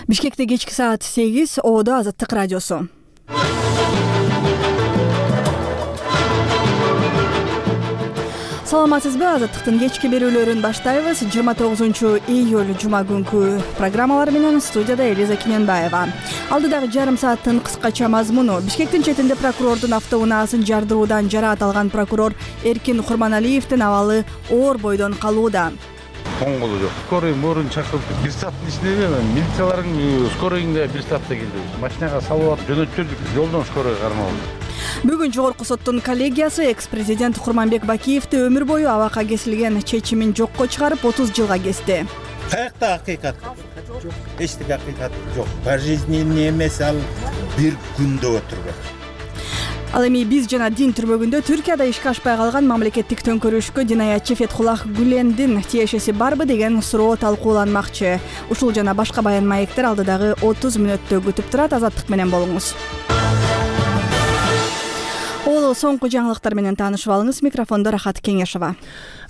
Бишкекте кечки саат 8, Оодо Азаттык радиосу. Саламатсызбы? Азаттыктын кечки берүүлөрүн баштайбыз. 29-июль жума күнкү программалар менен студияда Элиза Кененбаева. Алдыдагы жарым сааттын кыскача мазмуну. Бишкектин четинде прокурордун автоунаасын жардыруудан жараат алган прокурор Эркин Курманалиевдин абалы оор бойдон калууда. Коңгулу жок. Скорый мөрүн чакырып, бир сааттын ичинде милициялардын скорыйга бир саатта келди. Машинага салып атып жөнөттүрдүк, жолдон скорый кармалды. Бүгүн Жогорку соттун коллегиясы экс-президент Курманбек Бакиевди өмүр бою абакка кесилген чечимин жокко чыгарып 30 жылга кести. Каякта акыйкат жок, эчтеке акыйкат жок. Пожизненный эмес, ал бир күндө отурбак. Ал эми биз жана дин түрмөгүндө Түркияда ишке ашпай калган мамлекеттик төңкөрүшкө динаятчы Фетхуллах Гүлендин тиешеси барбы деген суроо талкууланмакчы. Ушул жана башка баян маектер алдыдагы 30 мүнөттө күтүп турат. Азаттык менен болуңуз. Соңку жаңылыктар менен таанышып алыңыз. Микрофондо Рахат Кеңешова.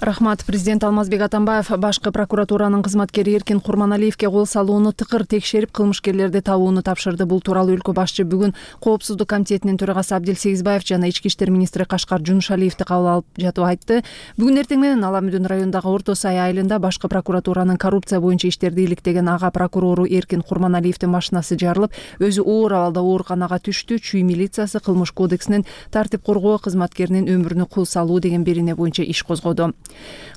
Рахмат. Президент Алмазбек Атамбаев башкы прокуратуранын кызматкери Эркин Курманалиевге кол салууну тыкыр текшерип, кылмышкерлерди табууну тапшырды. Бул тууралуу өлкө башчы бүгүн Коопсуздук комитетинин төрагасы Абдил Сегизбаев жана Ички иштер министри Кашкар Жунушалиевди кабыл алып жатып айтты. Бүгүн эртең менен Аламүдүн районундагы Орто Сай айылында башкы прокуратуранын коррупция боюнча иштерди иликтеген ага прокурору Эркин Курманалиевдин машинасы жарылып, өзү оор абалда ооруканага түштү. Чүй милициясы кылмыш кодексинин тартип коргоо кызматкеринин өмүрүнө кул салуу деген берене боюнча иш козгоду.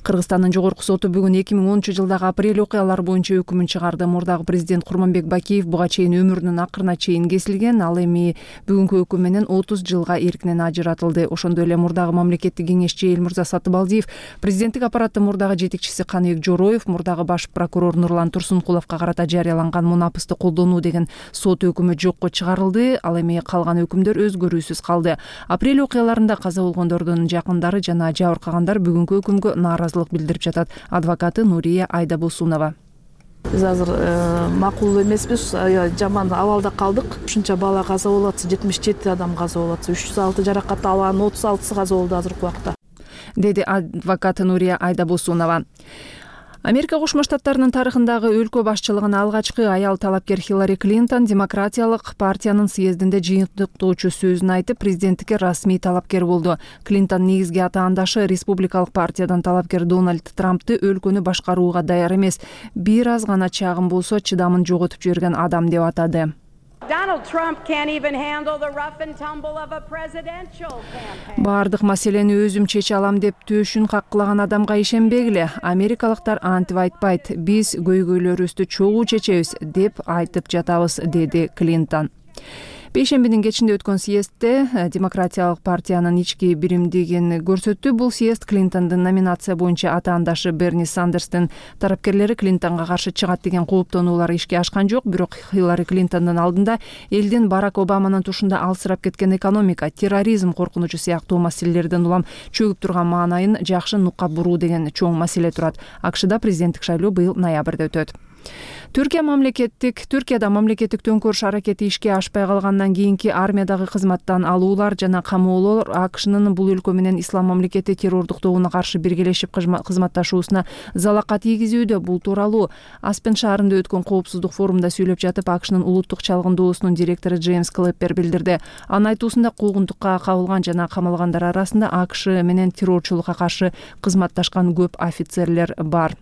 Кыргызстандын жогорку соту бүгүн 2010-жылдагы апрель окуялары боюнча өкүмүн чыгарды. Мурдагы президент Курманбек Бакиев буга чейин өмүрүнүн акырына чейин кесилген. Ал эми бүгүнкү өкүм менен 30 жылга эркинен ажыратылды. Ошондой эле мурдагы мамлекеттик кеңешчи Элмурза Сатыбалдиев, президенттик аппараттын мурдагы жетекчиси Каныбек Жороев, мурдагы баш прокурор Нурлан Турсункуловго карата жарыяланган мунапысты колдонуу деген сот өкүмү жокко чыгарылды. Ал эми калган өкүмдөр өзгөрүүсүз калды. Апрель окуяларында каза болгондордун жакындары жана жабыркагандар бүгүнкү өкүмгө нааразылык билдирип жатат. Адвокаты Нурия Айдабосунова. Биз азыр макул эмеспиз, жаман абалда калдык. Ушунча бала каза болуп атса, 77 адам каза болуп атса, 306 жаракат алган, 36 каза болду азыркы убакта, деди адвокат Нурия Айдабосунова. Америка Кошмо Штаттарынын тарыхындагы өлкө башчылыгына алгачкы аял талапкер Хиллари Клинтон демократиялык партиянын съездинде жыйынтыктоочу сөзүн айтып, президенттикке расмий талапкер болду. Клинтон негизги атаандашы республикалык партиядан талапкер Дональд Трампты өлкөнү башкарууга даяр эмес, бир аз гана чагым болсо чыдамын жоготуп жиберген адам деп атады. Бардык маселени өзүм чече алам деп төшүн каккылаган адамга ишенбегиле. Америкалыктар антип айтпайт. Биз көйгөйлөрүбүздү чогуу чечебиз деп айтып жатабыз, деди Клинтон. Бейшембинин кечинде өткөн съездде демократиялык партиянын ички биримдигин көрсөттү. Бул съезд Клинтондун номинация боюнча атаандашы Берни Сандерстин тарапкерлери Клинтонго каршы чыгат деген кооптонуулар ишке ашкан жок. Бирок Хиллари Клинтондун алдында элдин Барак Обаманын тушунда алсырап кеткен экономика, терроризм коркунучу сыяктуу маселелерден улам чөгүп турган маанайын жакшы нукка буруу деген чоң маселе турат. АКШда президенттик шайлоо быйыл ноябрда өтөт. Түркияда мамлекеттик төңкөрүш аракети ишке ашпай калгандан кийинки армиядагы кызматтан алуулар жана камоолор АКШнын бул өлкө менен ислам мамлекети террордук тобуна каршы биргелешип кызматташуусуна залака тийгизүүдө. Бул тууралуу Аспен шаарында өткөн коопсуздук форумда сүйлөп жатып, АКШнын улуттук чалгындоосунун директору Джеймс Клэппер билдирди. Анын айтуусунда куугунтукка кабылган жана камалгандар арасында АКШ менен террорчулукка каршы кызматташкан көп офицерлер бар.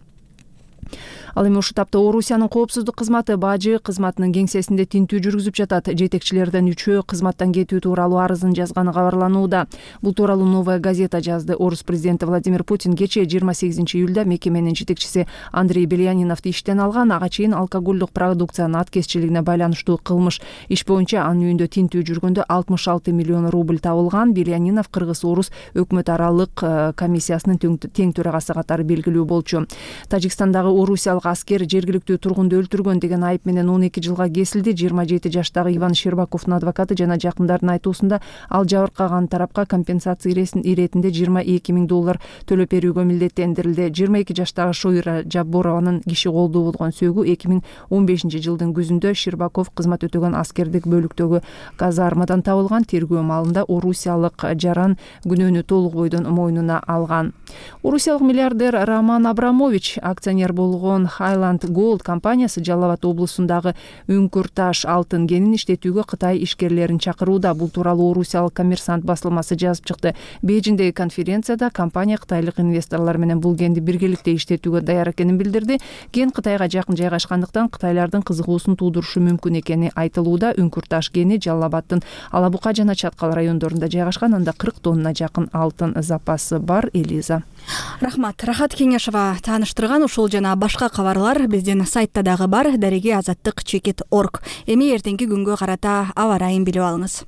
Ал эми ушул тапта Орусиянын коопсуздук кызматы бажы кызматынын кеңсесинде тинтүү жүргүзүп жатат. Жетекчилерден 3-өө кызматтан кетүү тууралуу арызын жазганы кабарланууда. Бул тууралуу Новая газета жазды. Орус президенти Владимир Путин кечээ 28-июлда мекеменин жетекчиси Андрей Беляниновду иштен алган. Ага чейин алкоголдук продукциянын аткезчилигине байланыштуу кылмыш иш боюнча анын үйүндө тинтүү жүргөндө 66 миллион рубль табылган. Белянинов Кыргыз-Орус өкмөт аралык комиссиясынын тең төрагасы катары белгилүү болчу. Тажикстандагы орусиялык аскер жергиликтүү тургунду өлтүргөн деген айып менен 12 жылга кесилди. 27 жаштагы Иван Щербаковдун адвокаты жана жакындардын айтуусунда ал жабыркаган тарапка компенсация иретинде $22,000 төлөп берүүгө милдеттендирилди. 22 жаштагы Шойра Жабборованын киши колдуу болгон сөөгү 2015 жылдын күзүндө Щербаков кызмат өтөгөн аскердик бөлүктөгү казармадан табылган. Тергөө маалында орусиялык жаран күнөөнү толук бойдон мойнуна алган. Орусиялык миллиардер Роман Абрамович акционер болуу болгон Highland Gold компаниясы Жалал Абад облусундагы үңкүр таш алтын кенин иштетүүгө Кытай ишкерлерин чакырууда. Бул тууралуу Орусиялык Коммерсант басылмасы жазып чыкты. Бейжиңдеги конференцияда компания кытайлык инвесторлор менен бул кенди биргеликте иштетүүгө даяр экенин билдирди. Кен Кытайга жакын жайгашкандыктан кытайлардын кызыгуусун туудурушу мүмкүн экени айтылууда. Үңкүр таш кени Жалал Абаддын Ала Бука жана Чаткал райондорунда жайгашкан. Анда 40 тонна жакын алтын запасы бар. Элиза. Рахмат. Рахат Кеңешова тааныштырган. Ушул жана башка кабарлар биздин сайтта дагы бар. Дареги азаттык _org. Эми эртеңки күнгө карата аба ырайын билип алыңыз.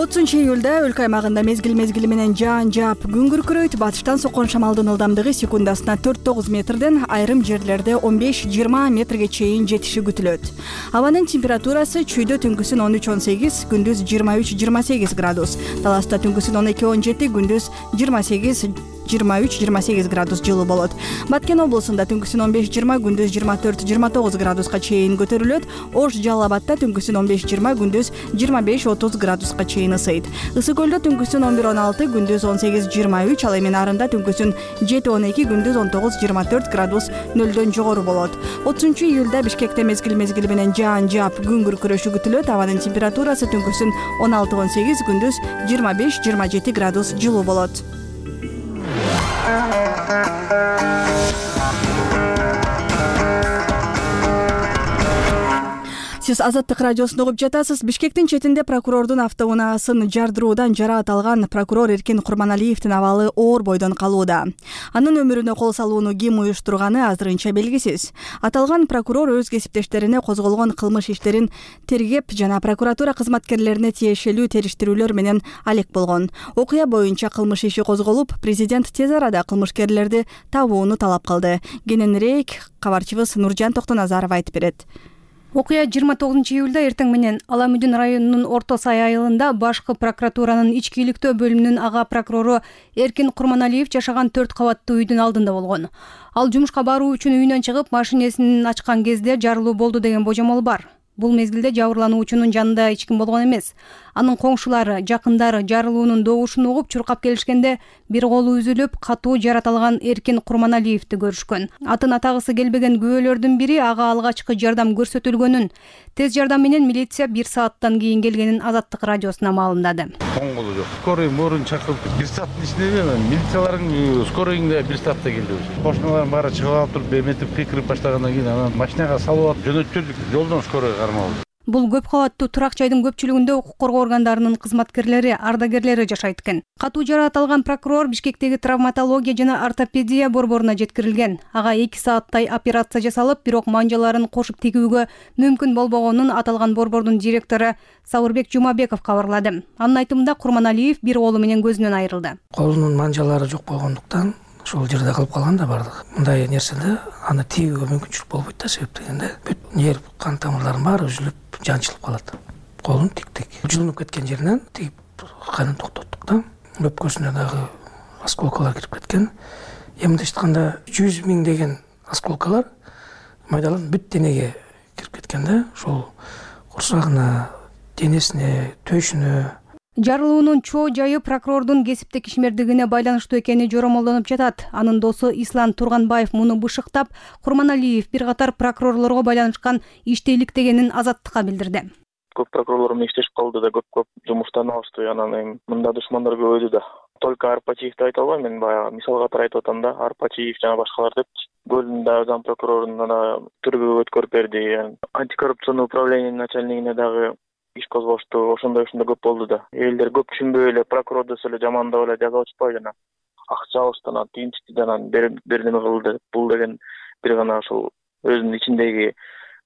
30 июлда өлкө аймагында мезгил менен жаан жаап күн күркүрөйт. Батыштан соккон шамалдын ылдамдыгы секундасына 4-9 метрден, айрым жерлерде 15-20 метрге чейин жетиши күтүлөт. Абанын температурасы чүйдө түнкүсүн 13-18, күндүз 23-28 градус. Таласта түнкүсүн 12-17, күндүз 23-28 градус жылуу болот. Баткен облусунда түнкүсүн 15-20, күндүз 24-29 градуска чейин көтөрүлөт. Ош Жалал Абадта түнкүсүн 15-20, күндүз 25-30 градуска чейин ысыйт. Ысык көлдө түнкүсүн 11-16, күндүз 18-23, ал эми Нарында түнкүсүн 7-12, күндүз 19-24 градус нөлдөн жогору болот. 30 июлда Бишкекте мезгил менен жаан жаап күн күркүрөшү күтүлөт. Абанын температурасы түнкүсүн 16-18, күндүз 25-27 градус жылуу болот. Сиз Азаттык радиосун угуп жатасыз. Бишкектин четинде прокурордун автоунаасын жардыруудан жараат алган прокурор Эркин Курманалиевдин абалы оор бойдон калууда. Анын өмүрүнө кол салууну ким уюштурганы азырынча белгисиз. Аталган прокурор өз кесиптештерине козголгон кылмыш иштерин тергеп жана прокуратура кызматкерлерине тиешелүү териштирүүлөр менен алек болгон. Окуя боюнча кылмыш иши козголуп, президент тез арада кылмышкерлерди табууну талап кылды. Кененирээк кабарчыбыз Нуржан Токтоназаров айтып берет. Окуя 29 июлда эртең менен Аламүдүн районунун Орто Сай айылында башкы прокуратуранын ички иликтөө бөлүмүнүн ага прокурору Эркин Курманалиев жашаган 4 кабаттуу үйдүн алдында болгон. Ал жумушка баруу үчүн үйүнөн чыгып, машинесин ачкан кезде жарылуу болду деген божомол бар. Бул мезгилде жабырлануучунун жанында эч ким болгон эмес. Анын коңшулары, жакындары жарылуунун добушун угуп чуркап келишкенде бир колу үзүлүп, катуу жарат алган Эркин Курманалиевди көрүшкөн. Атын атагысы келбеген күбөлөрдүн бири ага алгачкы жардам көрсөтүлгөнүн, тез жардам менен милиция 1 сааттан кийин келгенин Азаттык радиосуна маалымдады. Коңгулу жок. Скорый морун чакырып 1 сааттын ичинде милициялардын скорыйында 1 саатта келди. Кошуналардын баары чыгып алып туруп, беметип пикирип баштагандан кийин анан машинага салып алып жөнөттүрдүк. Жолдон скорый кармалды. Бул көп кабаттуу турак жайдын көпчүлүгүндө укук коргоо органдарынын кызматкерлери, ардагерлери жашайт экен. Катуу жараат алган прокурор Бишкектеги травматология жана ортопедия борборуна жеткирилген. Ага 2 сааттай операция жасалып, бирок манжаларын кошуп тигүүгө мүмкүн болбогонун аталган борбордун директору Сауырбек Жумабеков кабарлады. Анын айтымында Курманалиев бир колу менен көзүнөн айрылды. Колунун манжалары жок болгондуктан ошол жерде калып калган да бардык. Мындай нерседе аны тийүүгө мүмкүнчүлүк болбойт да, себеп дегенде бүт нерв, кан тамырларынын баары үзүлүп, жанчылып калат. Колун тиктик. Жылынып кеткен жеринен тигип канын токтоттук да. Өпкөсүнө дагы осколкалар кирип кеткен. Мындайча айтканда 100 000 деген осколкалар майдаланып бүт денеге кирип кеткен да. Ошол курсагына, денесине, төшүнө. Жарылуунун чоо жайы прокурордун кесиптик ишмердигине байланыштуу экени жоромолдонуп жатат. Анын досу Ислам Турганбаев муну бышыктап, Курманалиев бир катар прокурорлорго байланышкан иште иликтегенин Азаттыкка билдирди. Көп прокурорлор менен иштешип калды да, көп жумуштан алышты. Анан эми мында душмандар көбөйдү да. Только Арпачиевди айта албайм, мен баягы мисал катары айтып атам да. Арпачиев жана башкалар деп Гөлүндө зам прокуроруна да түргө өткөрүп берди. Антикоррупционный управлениянын начальнигине дагы иш козгошту. Ошондой көп болду да. Элдер көп түшүнбөй эле прокурор десе эле жамандап эле жазып атышпайбы жана. Акча алыштан, тинчтиден бердими кылды. Бул деген бир гана ошол өзүнүн ичиндеги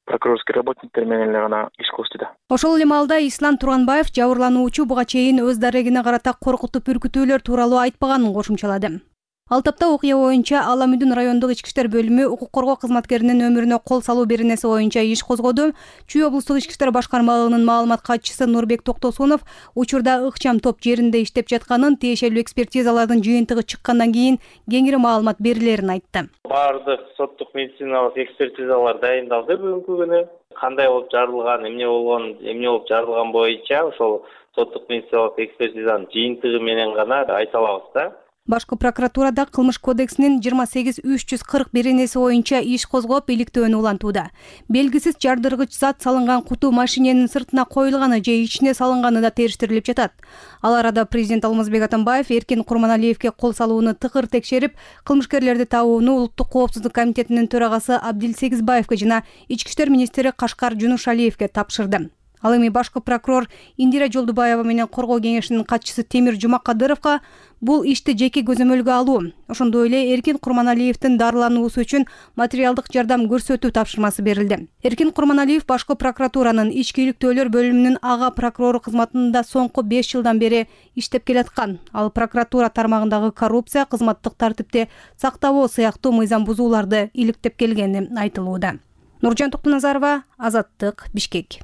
прокурорский работниктер менен эле гана иш кылышты да. Ошол эле маалда Ислам Турганбаев жабырлануучу буга чейин өз дарегине карата коркутуп үркүтүүлөр тууралуу айтпаганын кошумчалады. Ал тапта окуя боюнча Аламүдүн райондук ички иштер бөлүмү укук коргоо кызматкеринин өмүрүнө кол салуу беренеси боюнча иш козгоду. Чүй облустук ички иштер башкармалыгынын маалымат катчысы Нурбек Токтосунов учурда ыкчам топ жеринде иштеп жатканын, тиешелүү экспертизалардын жыйынтыгы чыккандан кийин кеңири маалымат берилерин айтты. Бардык соттук медициналык экспертизалар дайындалды бүгүнкү күнү. Кандай болуп жарылган, эмне болуп жарылган боюнча ошол соттук медициналык экспертизанын жыйынтыгы менен гана айта алабыз да. Башкы прокуратурада Кылмыш кодексинин 28.341 боюнча иш козгоп, иликтөөнү улантууда. Белгисиз жардыргыч зат салынган куту машиненин сыртына коюлганы же ичине салынганы да териштирилип жатат. Ал арада президент Алмазбек Атамбаев Эркин Курманалиевге кол салууну тыкыр текшерип, кылмышкерлерди табууну Улуттук коопсуздук комитетинин төрагасы Абдил Сегизбаевге жана Ички иштер министри Кашкар Жунушалиевге тапшырды. Ал эми башкы прокурор Индира Жолдубаева менен коргоо кеңешинин катчысы Темир Жумакадыровго бул ишти жеке көзөмөлгө алуу, ошондой эле Эркин Курманалиевдин дарылануусу үчүн материалдык жардам көрсөтүү тапшырмасы берилди. Эркин Курманалиев башкы прокуратуранын ички иликтөөлөр бөлүмүнүн ага прокурору кызматында соңку 5 жылдан бери иштеп келаткан. Ал прокуратура тармагындагы коррупция, кызматтык тартипти сактабоо сыяктуу мыйзам бузууларды иликтеп келгени айтылууда. Нуржан Токтоназарова, Азаттык, Бишкек.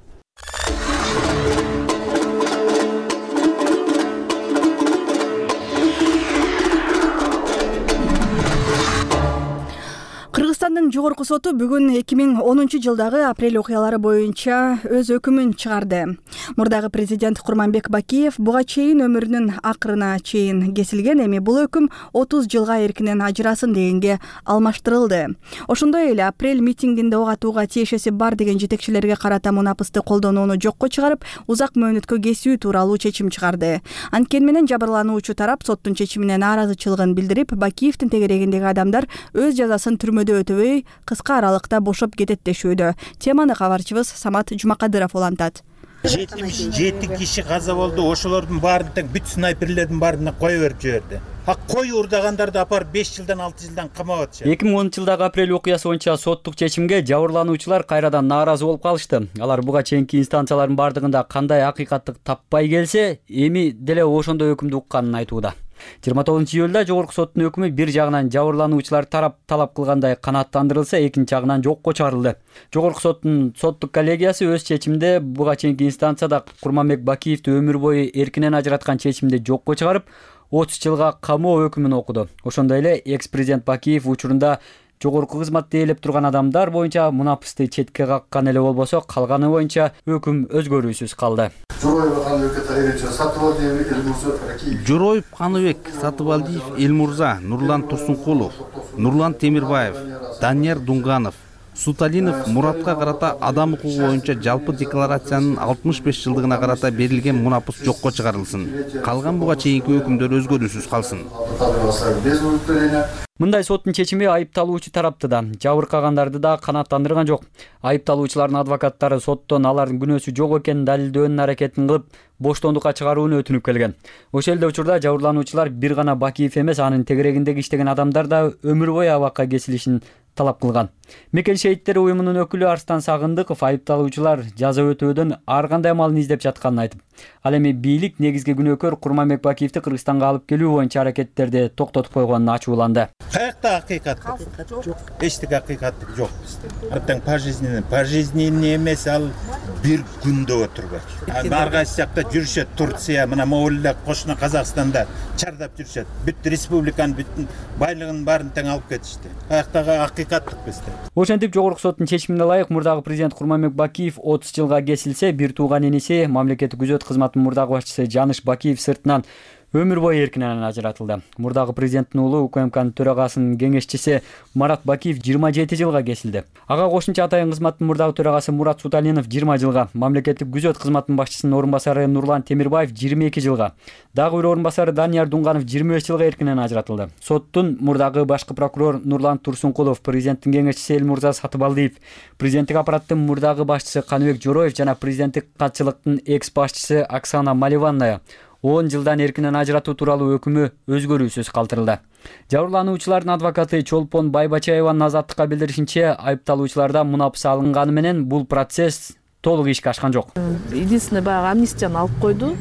Кыргызстандын жогорку соту бүгүн 2010 жылдагы апрель окуялары боюнча өз өкүмүн чыгарды. Мурдагы президент Курманбек Бакиев буга чейин өмүрүнүн акырына чейин кесилген, эми бул өкүм 30 жылга эркинен ажырасын дегенге алмаштырылды. Ошондой эле апрель митингинде ок атууга тиешеси бар деген жетекчилерге карата мунапысты колдонууну жокко чыгарып, узак мөөнөткө кесүү тууралуу чечим чыгарды. Анткени менен жабырлануучу тарап соттун чечимине нааразычылыгын билдирип, Бакиевдин тегерегиндеги адамдар өз жазасын түрмөдө өтөбөй кыска аралыкта бошоп кетет дешүүдө. Теманы кабарчыбыз Самат Жумакадыров улантат. 77 киши каза болду. Ошолордун баарын тең бүт снайперлердин баарына кое берип жиберди. Кой урдагандарды апарып 5 жылдан 6 жылдан камап атышат. 2010 жылдагы апрель окуясы боюнча соттук чечимге жабырлануучулар кайрадан нааразы болуп калышты. Алар буга чейинки инстанциялардын бардыгында кандай акыйкаттык таппай келсе, эми деле ошондой өкүмдү укканын айтууда. 29 июлда жогорку соттун өкүмү бир жагынан жабырлануучулар тарап талап кылгандай канааттандырылса, экинчи жагынан жокко чыгарылды. Жогорку соттун соттук коллегиясы өз чечиминде буга чейинки инстанцияда Курманбек Бакиевди өмүр бою эркинен ажыраткан чечимди жокко чыгарып, 30 жылга камоо өкүмүн окуду. Ошондой эле экс-президент Бакиев учурунда жогорку кызматты ээлеп турган адамдар боюнча мунапысты четке каккан эле болбосо, калганы боюнча өкүм өзгөрүүсүз калды. Жороев Каныбек Сатыбалдиев Элмурза, Нурлан Турсункулов, Нурлан Темирбаев, Данияр Дунганов, Суталинов Муратка карата адам укугу боюнча жалпы декларациянын 65 жылдыгына карата берилген мунапыс жокко чыгарылсын. Калган буга чейинки өкүмдөр өзгөрүүсүз калсын. Мындай соттун чечими айыпталуучу тарапты да, жабыркагандарды да канааттандырган жок. Айыпталуучулардын адвокаттары соттон алардын күнөөсү жок экенин далилдөөнүн аракетин кылып, боштондукка чыгарууну өтүнүп келген. Ошол эле учурда жабырлануучулар бир гана Бакиев эмес, анын тегерегиндеги иштеген адамдар да өмүр бою абакка кесилишин талап кылган. Мекен шейиттери уюмунун өкүлү Арстан Сагындыков айыпталуучулар жаза өтөөдөн ар кандай амалын издеп жатканын айтып, ал эми бийлик негизги күнөөкөр Курманбек Бакиевди Кыргызстанга алып келүү боюнча аракеттерди токтотуп койгонун ачууланды. Каякта акыйкаттык жок. Эчтеке акыйкаттык жок бизде. Артаң пожизненный эмес, ал бир күндө отурбайт. Ар кайсы жакта жүрүшөт, Турция, мына Моңголда, кошуна Казакстанда чардап жүрүшөт. Бүт республиканын бүт байлыгын баарын тең алып кетишти. Каяктагы акыйкаттык бизде. Ошентип жогорку соттун чечимине ылайык мурдагы президент Курманбек Бакиев 30 жылга кесилсе, бир тууган иниси мамлекеттик күзөт кызматынын мурдагы башчысы Жаныш Бакиев сыртынан өмүр бою эркинен ажыратылды. Мурдагы президенттин уулу УКМКнын төрагасынын кеңешчиси Марат Бакиев 27 жылга кесилди. Ага кошумча атайын кызматтын мурдагы төрагасы Мурат Суталинов 20 жылга, мамлекеттик күзөт кызматынын башчысынын орун басары Нурлан Темирбаев 22 жылга, дагы бир орун басары Данияр Дунганов 25 жылга эркинен ажыратылды. Соттун мурдагы башкы прокурор Нурлан Турсункулов, президенттин кеңешчиси Элмурза Сатыбалдиев, президенттик аппараттын мурдагы башчысы Каныбек Жороев жана президенттик катчылыктын экс башчысы Оксана Маливанная 10 жылдан эркинен ажыратуу тууралуу өкүмү өзгөрүүсүз калтырылды. Жабырлануучулардын адвокаты Чолпон Байбачаеванын Азаттыкка билдиришинче, айыпталуучулардан мунапыс алынганы менен бул процесс толук ишке ашкан жок. Единственный баягы амнистияны алып койду.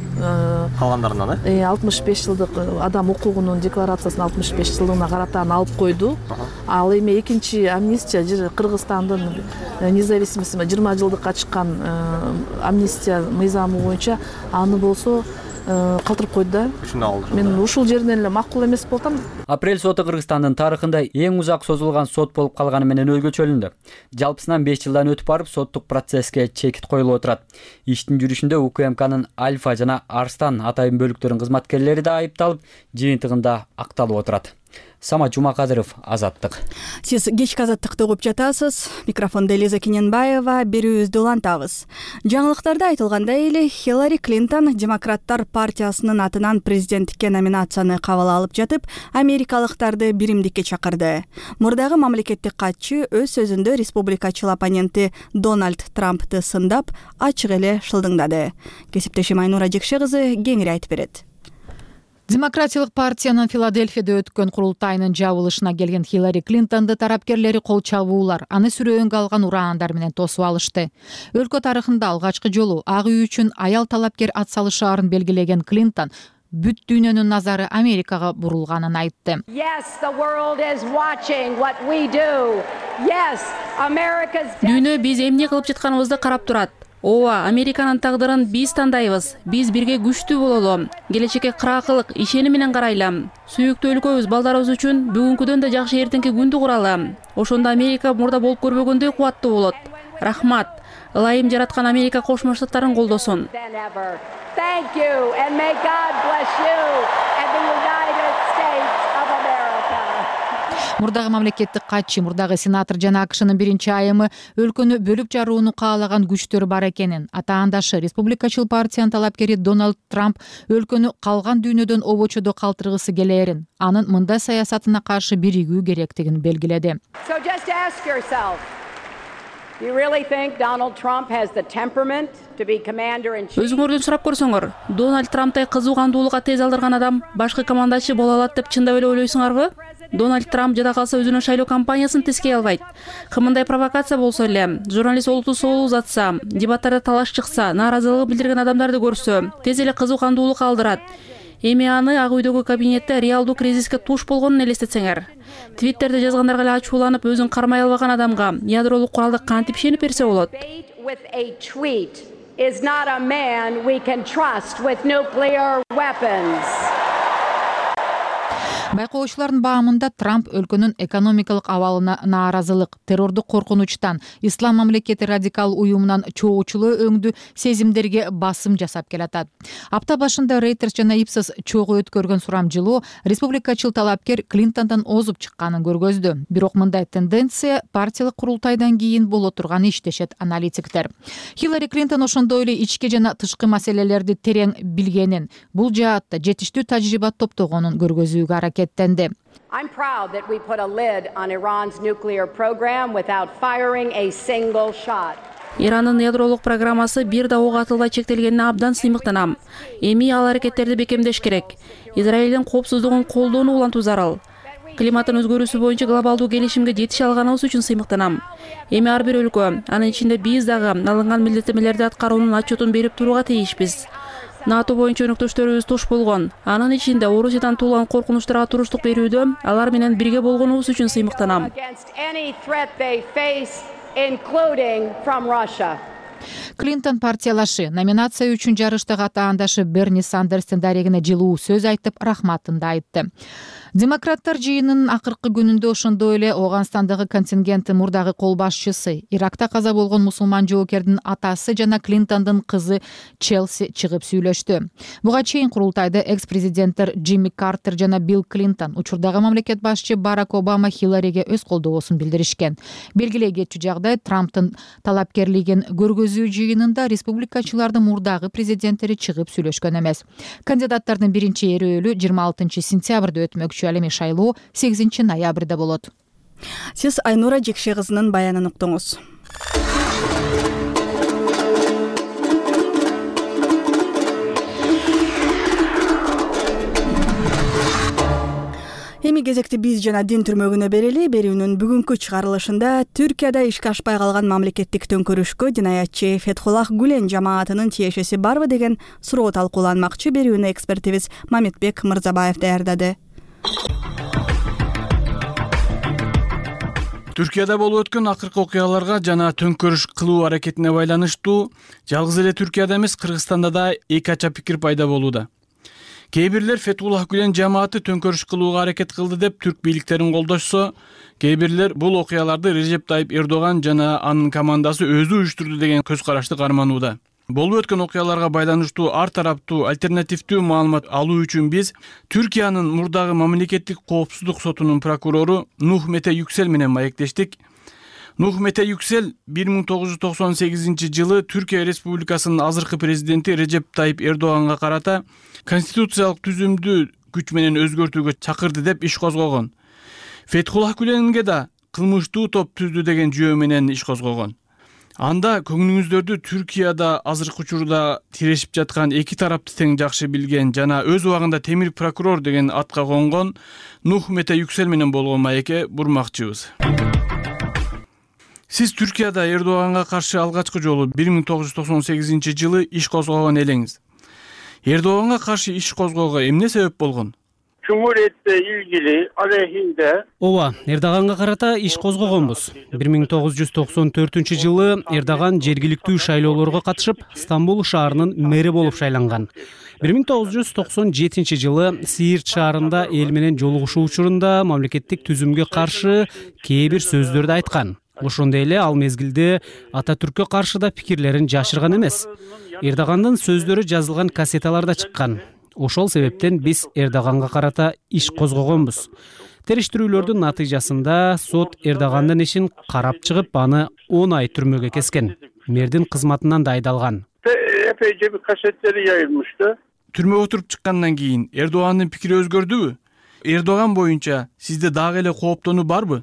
Калгандарынан 65 жылдык адам укугунун декларациясын 65 жылдыгына карата алып койду. Ал эми экинчи амнистия Кыргызстандын независимости 20 жылдыкка чыккан амнистия мыйзамы боюнча аны болсо калтырып койду да. Мен ушул жерден эле макул эмес болуп атам. Апрель соту Кыргызстандын тарыхында эң узак созулган сот болуп калганы менен өзгөчөлүндү. Жалпысынан 5 жылдан өтүп барып соттук процесске чекит коюлуп отурат. Иштин жүрүшүндө УКМКнын Альфа жана Арстан атайын бөлүктөрүнүн кызматкерлери да айыпталып, жыйынтыгында акталып отурат. Самат Жумакадыров, Азаттык. Сиз кечки Азаттыкты угуп жатасыз. Микрофондо Элиза Кененбаева, берүүбүздү улантабыз. Жаңылыктарда айтылгандай эле Хиллари Клинтон Демократтар партиясынын атынан президенттикке номинацияны кабыл алып жатып, америкалыктарды биримдикке чакырды. Мурдагы мамлекеттик катчы өз сөзүндө республикачыл оппоненти Дональд Трампты сындап, ачык эле шылдыңдады. Кесиптешим Айнура Жекше кызы кеңири айтып берет. Демократиялык партиянын Филадельфияда өткөн курултайынын жабылышына келген Хиллари Клинтонду тарапкерлери кол чабуулар, аны сүрөөнгө алган ураандар менен тосуп алышты. Өлкө тарыхында алгачкы жолу ак үй үчүн аял талапкер атсалышаарын белгилеген Клинтон бүт дүйнөнүн назары Америкага бурулганын айтты. Дүйнө биз эмне кылып жатканыбызды карап турат. Ооба, Американын тагдырын биз тандайбыз. Биз бирге күчтүү бололу. Келечекке кыраакылык, ишеним менен карайлы. Сүйүктүү өлкөбүз балдарыбыз үчүн бүгүнкүдөн да жакшы эртеңки күндү куралы. Ошондо Америка мурда болуп көрбөгөндөй кубаттуу болот. Рахмат. Ылайым жараткан Америка Кошмо Штаттарын колдосун. Мурдагы мамлекеттик катчы, мурдагы сенатор жана АКШнын биринчи айымы өлкөнү бөлүп жарууну каалаган күчтөр бар экенин, атаандашы республикачыл партиянын талапкери Дональд Трамп өлкөнү калган дүйнөдөн обочодо калтыргысы келээрин, анын мындай саясатына каршы биригүү керектигин белгиледи. Өзүңөрдөн сурап көрсөңөр, Дональд Трамптай кызуу кандуулукка тез алдырган адам башкы командачы боло алат деп чындап эле ойлойсуңарбы? Дональд Трамп жада калса өзүнүн шайлоо кампаниясын тескей албайт. Кымындай провокация болсо эле, журналист олуттуу соолу узатса, дебаттарда талаш чыкса, нааразылыгын билдирген адамдарды көрсө, тез эле кызуу кандуулукка алдырат. Эми аны Ак үйдөгү кабинетте реалдуу кризиске туш болгонун элестетсеңер. Твиттерде жазгандарга эле ачууланып, өзүн кармай албаган адамга ядролук куралды кантип ишенип берсе болот? Байкоочулардын баамында Трамп өлкөнүн экономикалык абалына нааразылык, террордук коркунучтан, ислам мамлекети радикал уюмунан чогуучулоо өңдүү сезимдерге басым жасап келатат. Апта башында Reuters жана Ipsos чогуу өткөргөн сурамжылоо республикачыл талапкер Клинтондон озуп чыкканын көргөздү. Бирок мындай тенденция партиялык курултайдан кийин боло турган иштешет аналитиктер. Хиллари Клинтон ошондой эле ички жана тышкы маселелерди терең билгенин, бул жаатта жетиштүү тажрыйба топтогонун көргөзүүгө аракет. I'm proud that we put a lid on Iran's nuclear program without firing a single shot. Иранын ядролук программасы бир да ок атылбай чектелгенине абдан сыймыктанам. Эми ал аракеттерди бекемдеш керек. Израилдин коопсуздугун колдоону улантуу зарыл. Климаттын өзгөрүүсү боюнча глобалдуу келишимге жетише алганыбыз үчүн сыймыктанам. Эми ар бир өлкө, анын ичинде биз дагы алынган милдеттенмелерди аткаруунун отчетун берип турууга тийишпиз. НАТО боюнча өнөктөштөрүбүз туш болгон. Анын ичинде Орусиядан туулган коркунучтарга туруштук берүүдө алар менен бирге болгонубуз үчүн сыймыктанам. Клинтон партиялашы номинация үчүн жарыштагы атаандашы Берни Сандерстин дарегине жылуу сөз айтып, рахматын да айтты. Демократтар жыйынынын акыркы күнүндө ошондой эле Ооганстандагы контингенттин мурдагы кол башчысы, Иракта каза болгон мусулман жоокердин атасы жана Клинтондун кызы Челси чыгып сүйлөштү. Буга чейин курултайда экс-президенттер Джимми Картер жана Билл Клинтон, учурдагы мамлекет башчы Барак Обама Хиллариге өз колдоосун билдиришкен. Белгилей кетчү жагдай Трамптын талапкерлигин көргөзүү жыйынында республикачылардын мурдагы президенттери чыгып сүйлөшкөн эмес. Кандидаттардын биринчи эрөөлү 26 сентябрда өтмөкчү. Эми шайлоо 8 ноябрда болот. Сиз Айнура Жекше кызынын баянын уктуңуз. Эми кезекти биз жана дин түрмөгүнө берели. Берүүнүн бүгүнкү чыгарылышында Түркияда ишке ашпай калган мамлекеттик төңкөрүшкө динаятчы Фетхуллах Гүлен жамаатынын тиешеси барбы деген суроо талкууланмакчы. Берүүнү экспертибиз Мамитбек Мырзабаев даярдады. Түркияда болуп өткөн акыркы окуяларга жана төңкөрүш кылуу аракетине байланыштуу жалгыз эле Түркияда эмес, Кыргызстанда да эки ача пикир пайда болууда. Кээ бирлер Фетхуллах Гүлен жамааты төңкөрүш кылууга аракет кылды деп түрк бийликтерин колдошсо, кээ бирлер бул окуяларды Режеп Тайып Эрдоган жана анын командасы өзү уюштурду деген көз карашты карманууда. Болуп өткөн окуяларга байланыштуу ар тараптуу альтернативдүү маалымат алуу үчүн биз Түркиянын мурдагы мамлекеттик коопсуздук сотунун прокурору Нух Мете Yüksel менен маектештик. Нух Мете Yüksel 1998 Түркия Республикасынын азыркы президенти Режеп Тайып Эрдоганга карата конституциялык түзүмдү күч менен өзгөртүүгө чакырды деп иш козгогон. Фетхуллах Гүленге да кылмыштуу топ түздү деген жүйө менен иш козгогон. Анда көңүлүңүздөрдү Түркияда азыркы учурда тирешип жаткан эки тарапты тең жакшы билген жана өз убагында темир прокурор деген атка конгон Нух Мете Yüksel менен болгон маекке бурмакчыбыз. Сиз Түркияда Эрдоганга каршы алгачкы жолу 1998 иш козгогон элеңиз. Эрдоганга каршы иш козгоого эмне себеп болгон? Cumhuriyetle ilgili aleyhinde Ооба, Эрдоганга карата иш козгогонбуз. 1994 Эрдоган жергиликтүү шайлоолорго катышып, Стамбул шаарынын мэри болуп шайланган. 1997 Сиирт шаарында эл менен жолугушуу учурунда мамлекеттик түзүмгө каршы кээ бир сөздөрдү айткан. Ошондой эле ал мезгилде Ататүрккө каршы да пикирлерин жашырган эмес. Эрдогандын сөздөрү жазылган кассеталар да чыккан. Ошол себептен биз Эрдоганга карата иш козгогонбуз. Териштирүүлөрдүн натыйжасында сот Эрдогандын ишин карап чыгып, аны 10 ай түрмөгө кескен. Мэрдин кызматынан да айдалган. epeyce bir kasetleri yayılmıştı. Түрмөгө отуруп чыккандан кийин Эрдогандын пикири өзгөрдүбү? Эрдоган боюнча сизде дагы эле кооптонуу барбы?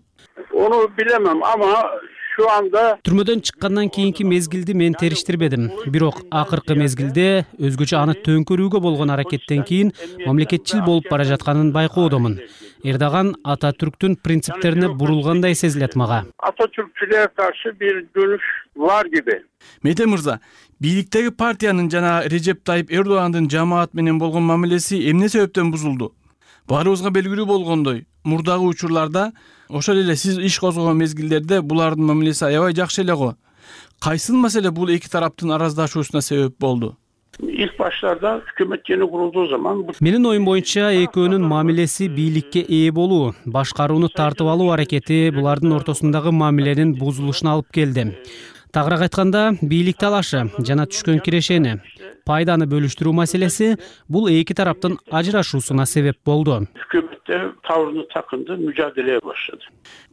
Onu bilemem ama şu anda Түрмөдөн чыккандан кийинки мезгилди мен териштирбедим. Бирок акыркы мезгилде өзгөчө аны төңкөрүүгө болгон аракеттен кийин мамлекетчил болуп бара жатканын байкоодомун. Эрдоган Ататүрктүн принциптерине бурулгандай сезилет мага. Atatürkçülüğe karşı bir dönüş var gibi. Мете мырза, бийликтеги партиянын жана Режеп Тайып Эрдогандын жамаат менен болгон мамилеси эмне себептен бузулду? Баарыбызга белгилүү болгондой, мурдагы учурларда ошол эле сиз иш козгогон мезгилдерде булардын мамилеси аябай жакшы эле го. Кайсыл маселе бул эки тараптын араздашуусуна себеп болду? İlk başlarda hükümet yeni kurulduğu zaman Менин оюм боюнча экөөнүн мамилеси бийликке ээ болуу, башкарууну тартып алуу аракети булардын ортосундагы мамиленин бузулушуна алып келди. Тагыраак айтканда, бийлик талашы жана түшкөн кирешени, пайданы бөлүштүрүү маселеси бул эки тараптын ажырашуусуна себеп болду. hükümette tavrını takındı, mücadeleye başladı.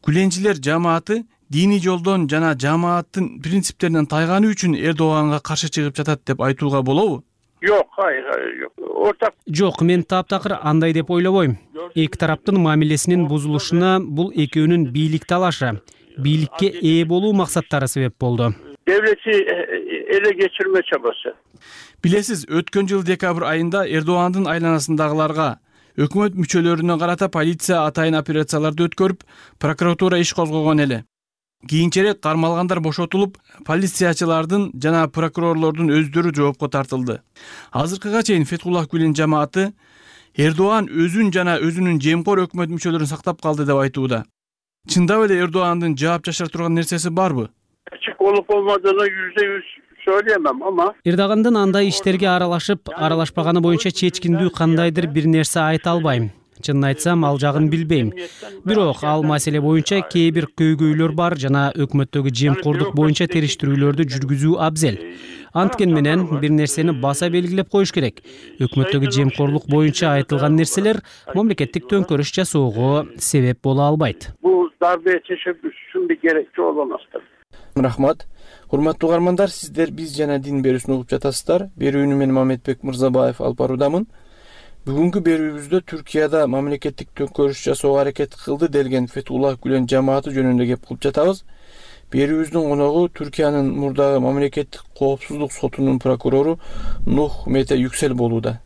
Gülençiler жамааты диний жолдон жана жамааттын принциптеринен тайганы үчүн Эрдоганга каршы чыгып жатат деп айтууга болобу? Yok, hayır yok. Ortak Жок, мен таптакыр андай деп ойлобойм. Эки тараптын мамилесинин бузулушуна бул экөөнүн бийлик талашы, бийликке ээ болуу максаттары себеп болду. devleti ele geçirme çabası. Билесиз, өткөн жыл декабрь айында Эрдогандын айланасындагыларга өкмөт мүчөлөрүнө карата полиция атайын операцияларды өткөрүп, прокуратура иш козгогон эле. Кийинчерээк кармалгандар бошотулуп, полициячылардын жана прокурорлордун өздөрү жоопко тартылды. Азыркыга чейин Фетхуллах Гүлен жамааты Эрдоган өзүн жана өзүнүн жемкор өкмөт мүчөлөрүн сактап калды деп айтууда. Чындап эле Эрдогандын жаап жашыра турган нерсеси барбы? Açık olup olmadığını %100 söyleyemem ama Эрдогандын андай иштерге аралашпаганы боюнча чечкиндүү кандайдыр бир нерсе айта албайм. Чынын айтсам, ал жагын билбейм. Бирок ал маселе боюнча кээ бир көйгөйлөр бар жана өкмөттөгү жемкордук боюнча териштирүүлөрдү жүргүзүү абзел. Анткен менен бир нерсени баса белгилеп коюш керек. Өкмөттөгү жемкорлук боюнча айтылган нерселер мамлекеттик төңкөрүш жасоого себеп боло албайт. bu darbeye teşebbüsün bir gerekçe olamazdır. Рахмат. Урматтуу угармандар, сиздер биз жана дин берүүсүн угуп жатасыздар. Берүүнү мен Мамедбек Мырзабаев алып баруудамын. Бүгүнкү берүүбүздө Түркияда мамлекеттик төңкөрүш жасоого аракет кылды делген Фетхуллах Гүлен жамааты жөнүндө кеп кылып жатабыз. Берүүбүздүн коногу Түркиянын мурдагы мамлекеттик коопсуздук сотунун прокурору Нух Мете Yüksel болууда.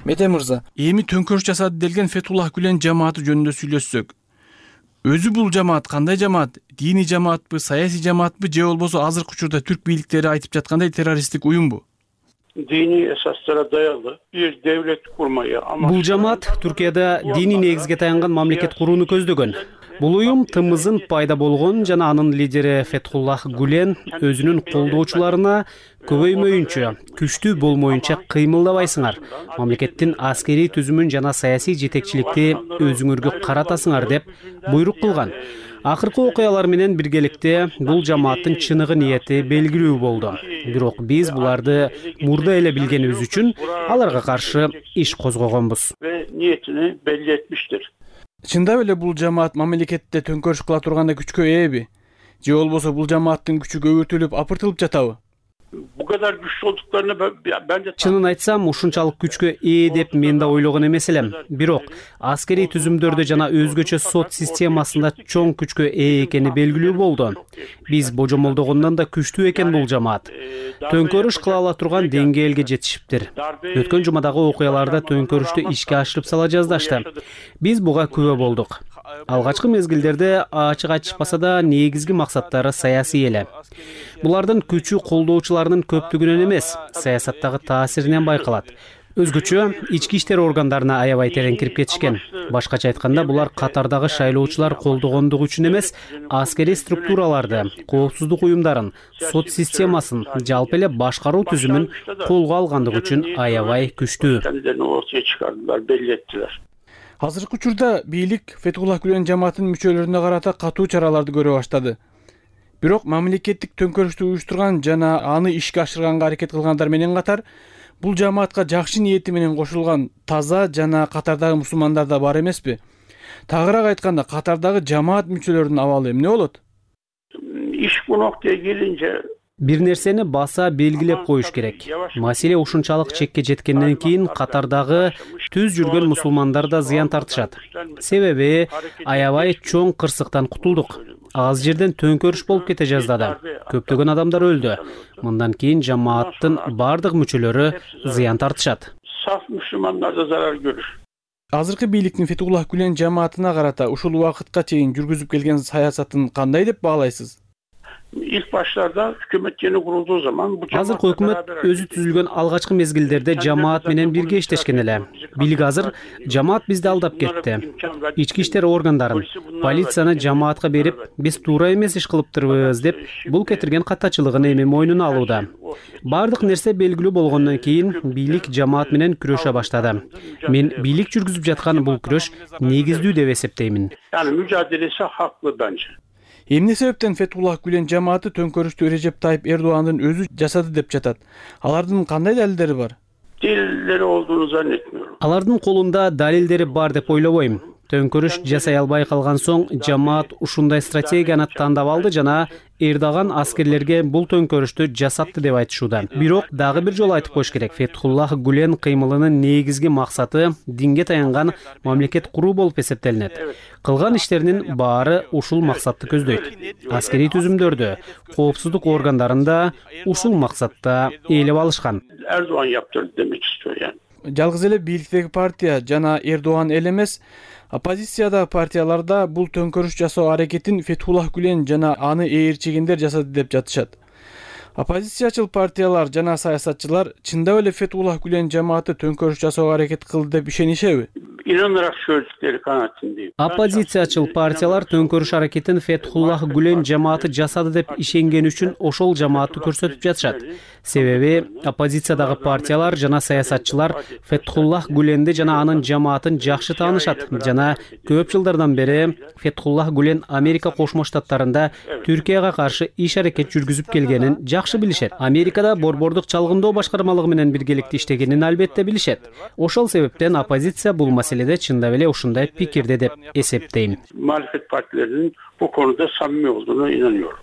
Мете мырза, эми төңкөрүш жасады делген Фетхуллах Гүлен жамааты жөнүндө сүйлөшсөк. Өзү бул жамаат кандай жамаат? Диний жамаатпы, саясий жамаатпы же болбосо азыркы учурда түрк бийликтери айтып жаткандай террористтик уюмбу? dini esaslara dayalı bir devlet kurmayı ama Бул жамаат Түркияда диний негизге таянган мамлекет курууну көздөгөн. Бул уюм тымызын пайда болгон жана анын лидери Фетхуллах Гулен өзүнүн колдоочуларына көбөймөйүнчө, күчтүү болмоюнча кыймылдабайсыңар, мамлекеттин аскерий түзүмүн жана саясий жетекчиликти өзүңөргө каратасыңар деп буйрук кылган. Акыркы окуялар менен биргеликте бул жамааттын чыныгы ниети белгилүү болду. Бирок биз буларды мурда эле билгенибиз үчүн аларга каршы иш козгогонбуз. ve niyetini belli etmiştir. Чындап эле бул жамаат мамлекетте төңкөрүш кыла турганда күчкө ээби? Же болбосо бул жамааттын күчү көбөйтүлүп, апыртылып жатабы? Bu kadar güçlü olduklarını ben de Чынын айтсам, ушунчалык күчкө ээ деп мен да ойлогон эмес элем. Бирок аскерий түзүмдөрдө жана өзгөчө сот системасында чоң күчкө ээ экени белгилүү болду. Биз божомолдогондон да күчтүү экен бул жамаат. Төңкөрүш кыла ала турган деңгээлге жетишиптир. Өткөн жумадагы окуяларда төңкөрүштү ишке ашырып сала жаздашты. Биз буга күбө болдук. Алгачкы мезгилдерде ачык айтышпаса да негизги максаттары саясий эле. Булардын күчү колдоочуларынын көптүгүнөн эмес, саясаттагы таасиринен байкалат. Өзгөчө ички иштер органдарына аябай терең кирип кетишкен. Башкача айтканда, булар катардагы шайлоочулар колдогондугу үчүн эмес, аскерий структураларды, коопсуздук уюмдарын, сот системасын, жалпы эле башкаруу түзүмүн колго алгандыгы үчүн аябай күчтүү. kendilerini ortaya çıkardılar, belli ettiler. Азыркы учурда бийлик Фетхуллах Гулен жамаатынын мүчөлөрүнө карата катуу чараларды көрө баштады. Бирок мамлекеттик төңкөрүштү уюштурган жана аны ишке ашырганга аракет кылгандар менен катар, бул жамаатка жакшы ниети менен кошулган таза жана катардагы мусулмандар да бар эмеспи? Тагыраак айтканда, катардагы жамаат мүчөлөрүнүн абалы эмне болот? İş bu noktaya gelince Бир нерсени баса белгилеп коюш керек. Маселе ушунчалык чекке жеткенден кийин катардагы түз жүргөн мусулмандар да зыян тартышат. Себеби аябай чоң кырсыктан кутулдук. Аз жерден төңкөрүш болуп кете жаздады. Көптөгөн адамдар өлдү. Мындан кийин жамааттын бардык мүчөлөрү зыян тартышат. saf Müslümanlar da zarar görür. Азыркы бийликтин Фетхуллах Гулен жамаатына карата ушул убакытка чейин жүргүзүп келген саясатын кандай деп баалайсыз? İlk başlarda hükümet yeni kurulduğu zaman bu Азыркы өкмөт өзү түзүлгөн алгачкы мезгилдерде жамаат менен бирге иштешкен эле. Бийлик азыр жамаат бизди алдап кетти. Ички иштер органдарын, полицияны жамаатка берип, биз туура эмес иш кылыптырбыз деп бул кетирген каттачылыгын эми мойнуна алууда. Бардык нерсе белгилүү болгондон кийин бийлик жамаат менен күрөшө баштады. Мен бийлик жүргүзүп жаткан бул күрөш негиздүү деп эсептеймин. Yani mücadelesi haklı bence. Эмне себептен Фетхуллах Гулен жамааты төңкөрүштү Режеп Тайып Эрдоğan'дын өзү жасады деп жатат? Алардын кандай далилдери бар? Delilleri olduğunu zannetmiyorum. Алардын колунда далилдери бар деп ойлобойм. Төңкөрүш жасай албай калган соң жамаат ушундай стратегияны тандап алды жана Эрдоган аскерлерге бул төңкөрүштү жасатты деп айтышууда. Бирок дагы бир жолу айтып коюш керек. Фетхуллах Гулен кыймылынын негизги максаты динге таянган мамлекет куруу болуп эсептелинет. Кылган иштеринин баары ушул максатты көздөйт. Аскерий түзүмдөрдү, коопсуздук органдарында ушул максатта ээлеп алышкан. Erdoğan yaptırdı demek istiyor yani. Жалгыз эле бийликтеги партия жана Эрдоğan эле эмес, оппозициядагы партияларда бул төңкөрүш жасоо аракетин Фетхуллах Гулен жана аны ээрчигендер жасады деп жатышат. Оппозициячыл партиялар жана саясатчылар чындап эле Фетхуллах Гулен жамааты төңкөрүш жасоого аракет кылды деп ишенишеби? İnanarak söyledikleri kanaatindeyim. Оппозициячыл партиялар төңкөрүш аракетин Фетхуллах Гулен жамааты жасады деп ишенген үчүн ошол жамаатты көрсөтүп жатышат. Себеби оппозициядагы партиялар жана саясатчылар Фетхуллах Гуленди жана анын жамаатын жакшы таанышат жана көп жылдардан бери Фетхуллах Гулен Америка Кошмо Штаттарында Түркияга каршы иш аракет жүргүзүп келгенин жакшы билишет. Америкада борбордук чалгындоо башкармалыгы менен биргеликте иштегенин албетте билишет. Ошол себептен оппозиция бул маселеде чындап эле ушундай пикирде деп эсептейм. Muhalefet partilerinin bu konuda samimi olduğuna inanıyorum.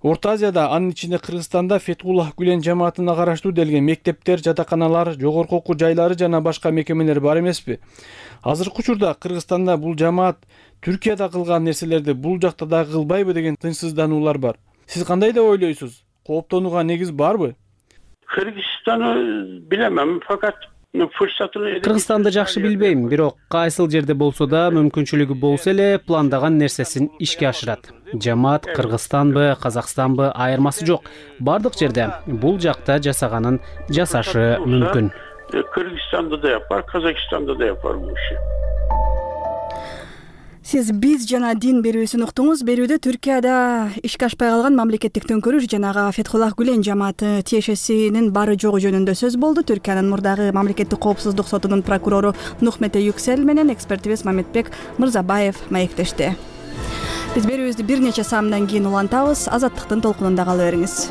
Орто Азияда, анын ичинде Кыргызстанда Фетхуллах Гулен жамаатына караштуу делген мектептер, жатаканалар, жогорку окуу жайлары жана башка мекемелер бар эмеспи? Азыркы учурда Кыргызстанда бул жамаат Түркияда кылган нерселерди бул жакта да кылбайбы деген тынчсыздануулар бар. Сиз кандай деп ойлойсуз? Кооптонууга негиз барбы? Kırgızistan'ı bilemem fakat Кыргызстанды жакшы билбейм, бирок кайсыл жерде болсо да мүмкүнчүлүгү болсо эле пландаган нерсесин ишке ашырат. Жамаат Кыргызстанбы, Казакстанбы айырмасы жок. Бардык жерде бул жакта жасаганын жасашы мүмкүн. Кыргызстанда да yapar, Казакстанда да yapar bu işi. Сиз биз жана дин берүүсүн уктуңуз. Берүүдө Түркияда ишке ашпай калган мамлекеттик төңкөрүш жанагы Фетхуллах Гүлен жамааты тиешесинин бары жогу жөнүндө сөз болду. Түркиянын мурдагы мамлекеттик коопсуздук сотунун прокурору Нухмете Юксел менен экспертибиз Мамедбек Мырзабаев маектешти. Биз берүүбүздү бир нече саамдан кийин улантабыз. Азаттыктын толкунунда кала бериңиз.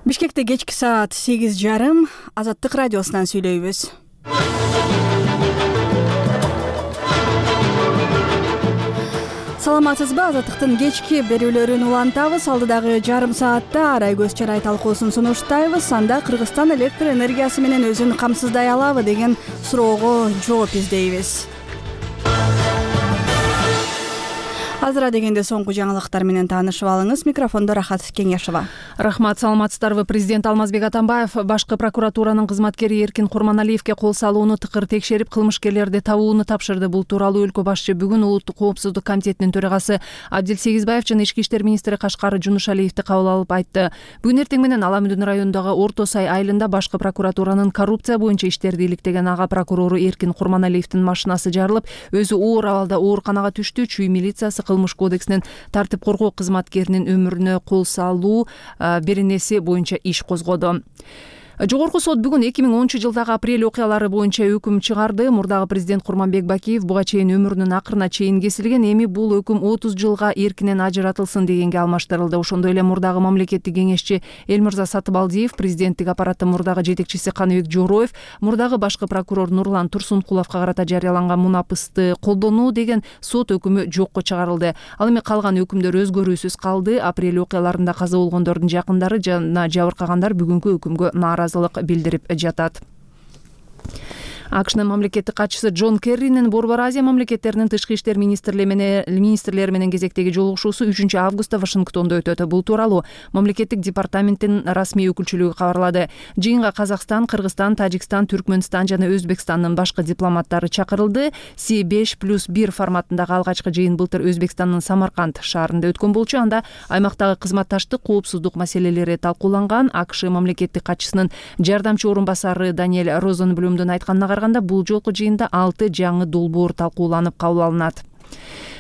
Бишкекте кечки саат 8:30 Азаттык радиосунан сүйлөйбүз. Саламатсызбы? Азаттыктын кечки берүүлөрүн улантабыз. Алдыдагы жарым саатта арай көз чарай талкуусун сунуштайбыз. Анда Кыргызстан электр энергиясы менен өзүн камсыздай алабы деген суроого жооп издейбиз. Азыра дегенде соңку жаңылыктар менен таанышып алыңыз. Микрофондо Рахат Кеңешова. Рахмат, саламатсыздарбы? Президент Алмазбек Атамбаев башкы прокуратуранын кызматкери Эркин Курманалиевге кол салууну тыкыр текшерип, кылмышкерлерди табууну тапшырды. Бул тууралуу өлкө башчы бүгүн Улуттук коопсуздук комитетинин төрагасы Абдил Сегизбаев жана Ички иштер министри Кашкар Жунушалиевди кабыл алып айтты. Бүгүн эртең менен Аламүдүн районундагы Орто Сай айылында башкы прокуратуранын коррупция боюнча иштерди иликтеген ага прокурору Эркин Курманалиевдин машинасы жарылып, өзү оор абалда ооруканага түштү. Чүй милициясы кылмыш кодексинин тартип коргоо кызматкеринин өмүрүнө кол салуу беренеси боюнча иш козгоду. Жогорку сот бүгүн 2010-жылдагы апрель окуялары боюнча өкүм чыгарды. Мурдагы президент Курманбек Бакиев буга чейин өмүрүнүн акырына чейин кесилген. Эми бул өкүм 30 жылга эркинен ажыратылсын дегенге алмаштырылды. Ошондой эле мурдагы мамлекеттик кеңешчи Элмирза Сатыбалдиев, президенттик аппараттын мурдагы жетекчиси Каныбек Жороев, мурдагы башкы прокурор Нурлан Турсункуловго карата жарыяланган мунапысты колдонуу деген сот өкүмү жокко чыгарылды. Ал эми калган өкүмдөр өзгөрүүсүз калды. Апрель окуяларында каза болгондордун жакындары жана жабыркагандар бүгүнкү өкүмгө нааразылык билдирип жатат. АКШнын мамлекеттик катчысы Джон Керринин Борбор Азия мамлекеттеринин тышкы иштер министрлери менен кезектеги жолугушуусу 3-августта Вашингтондо өтөт. Бул тууралуу мамлекеттик департаменттин расмий өкүлчүлүгү кабарлады. Жыйынга Казакстан, Кыргызстан, Тажикстан, Түркмөнстан жана Өзбекстандын башкы дипломаттары чакырылды. C5+1 форматындагы алгачкы жыйын былтыр Өзбекстандын Самарканд шаарында өткөн болчу. Анда аймактагы кызматташтык, коопсуздук маселелери талкууланган. АКШ мамлекеттик катчысынын жардамчы орун басары Даниэль Розенблюмдун айтканына бул жолку жыйында 6 жаңы долбоор талкууланып кабыл алынат.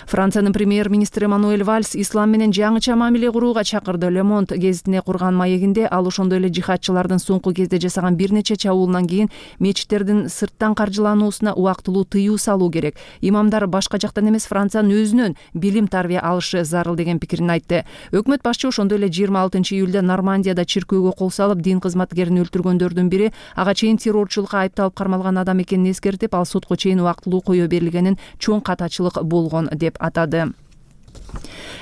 Франциянын премьер-министри Мануэль Вальс ислам менен жаңыча мамиле курууга чакырды. Le Monde гезитине курган маегинде ал ошондой эле жихадчылардын соңку кезде жасаган бир нече чабуулунан кийин мечиттердин сырттан каржылануусуна убактылуу тыюу салуу керек. Имамдар башка жактан эмес, Франциянын өзүнөн билим тарбия алышы зарыл деген пикирин айтты. Өкмөт башчы ошондой эле 26-июлда Нормандияда чиркөөгө кол салып, дин кызматкерин өлтүргөндөрдүн бири ага чейин террорчулукка айыпталып кармалган адам экенин эскертип, ал сотко чейин убактылуу кое берилгенин чоң катачылык болгон деп атады.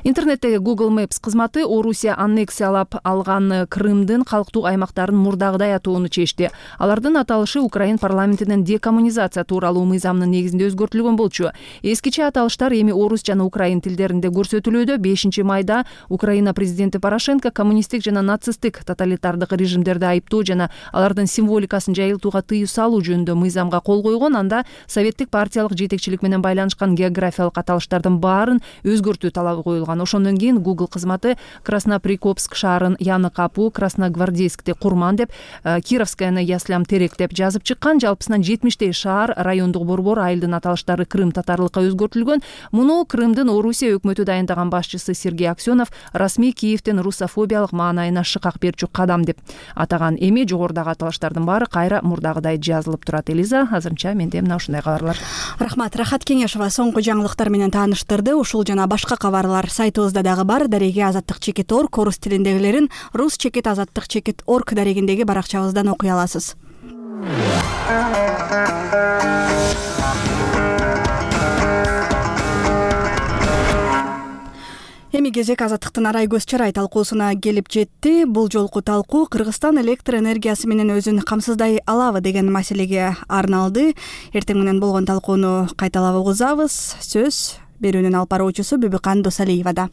Интернеттеги Google Maps кызматы Орусия аннексиялап алган Крымдын калктуу аймактарын мурдагыдай атоону чечти. Алардын аталышы Украин парламентинин декоммунизация тууралуу мыйзамынын негизинде өзгөртүлгөн болчу. Эскиче аталыштар эми орус жана украин тилдеринде көрсөтүлүүдө. 5-майда Украина президенти Порошенко коммунисттик жана нацисттик тоталитардык режимдерди айыптоо жана алардын символикасын жайылтууга тыюу салуу жөнүндө мыйзамга кол койгон. Анда советтик партиялык жетекчилик менен байланышкан географиялык аталыштардын баарын өзгөртүү талабы коюлган. Ошондон кийин Google кызматы Красноприкопск шаарын Яны Капу, Красногвардейскти Курман деп, Кировскаяны Яслям Терек деп жазып чыккан. Жалпысынан 70 шаар, райондук борбор, айылдын аталыштары Крым татарлыкка өзгөртүлгөн. Муну Крымдын Орусия өкмөтү дайындаган башчысы Сергей Аксенов расмий Киевдин русофобиялык маанайына шыкак берчү кадам деп атаган. Эми жогорудагы аталыштардын баары кайра мурдагыдай жазылып турат. Элиза, азырынча менде мына ушундай кабарлар. Рахмат. Рахат Кеңешова соңку жаңылыктар менен тааныштырды. Ушул жана башка кабарлар сайтыбызда дагы бар. Дареги azattik.org орус тилиндегилерин rus-azattik.org дарегиндеги баракчабыздан окуй аласыз. Эми кезек Азаттыктын арай көз чарай талкуусуна келип жетти. Бул жолку талкуу Кыргызстан электр энергиясы менен өзүн камсыздай алабы деген маселеге арналды. Эртең менен болгон талкууну кайталап угузабыз. Сөз берүүнүн алып баруучусу Бүбүкан Досалиевада.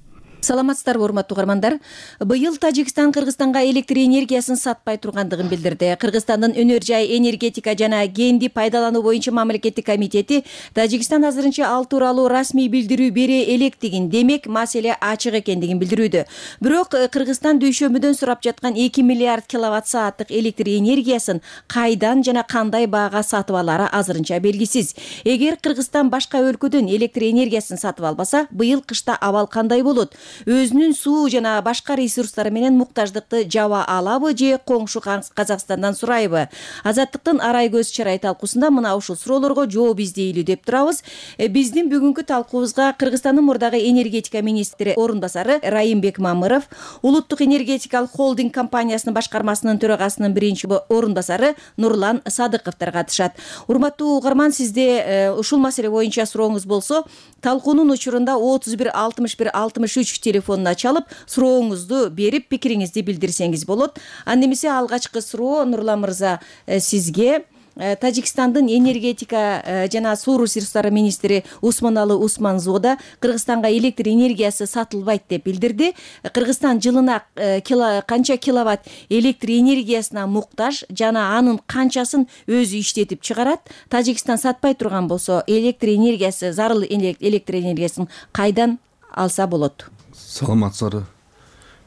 Саламатсыздарбы урматтуу угармандар. Быйыл Тажикстан Кыргызстанга электр энергиясын сатпай тургандыгын билдирди. Кыргызстандын өнөр жай энергетика жана кенди пайдалануу боюнча мамлекеттик комитети Тажикстан азырынча ал тууралуу расмий билдирүү бере электигин, демек маселе ачык экендигин билдирүүдө. Бирок Кыргызстан дүйшөмүдөн сурап жаткан 2 миллиард киловатт сааттык электр энергиясын кайдан жана кандай баага сатып алары азырынча белгисиз. Эгер Кыргызстан башка өлкөдөн электр энергиясын сатып албаса, быйыл кышта абал кандай болот? Өзүнүн суу жана башка ресурстары менен муктаждыкты жаба алабы же коңшу Казакстандан сурайбы? Азаттыктын арай көз чарай талкуусунда мына ушул суроолорго жооп издейлүү деп турабыз. Биздин бүгүнкү талкуубузга Кыргызстандын мурдагы энергетика министри орунбасары Райымбек Мамыров, Улуттук энергетикалык холдинг компаниясынын башкармасынын төрагасынын биринчи орунбасары Нурлан Садыковдор катышат. Урматтуу угарман, сизде ушул маселе боюнча сурооңуз болсо, талкуунун учурунда 31 61 63 телефонуна чалып, сурооңузду берип, пикириңизди билдирсеңиз болот. Анда эмесе алгачкы суроо Нурлан мырза сизге. Тажикстандын энергетика жана суу ресурстары министри Усманалы Усманзода Кыргызстанга электр энергиясы сатылбайт деп билдирди. Кыргызстан жылына канча киловатт электр энергиясына муктаж жана анын канчасын өзү иштетип чыгарат? Тажикстан сатпай турган болсо, электр энергиясы, зарыл электр энергиясын кайдан алса болот? Саламатсыздар.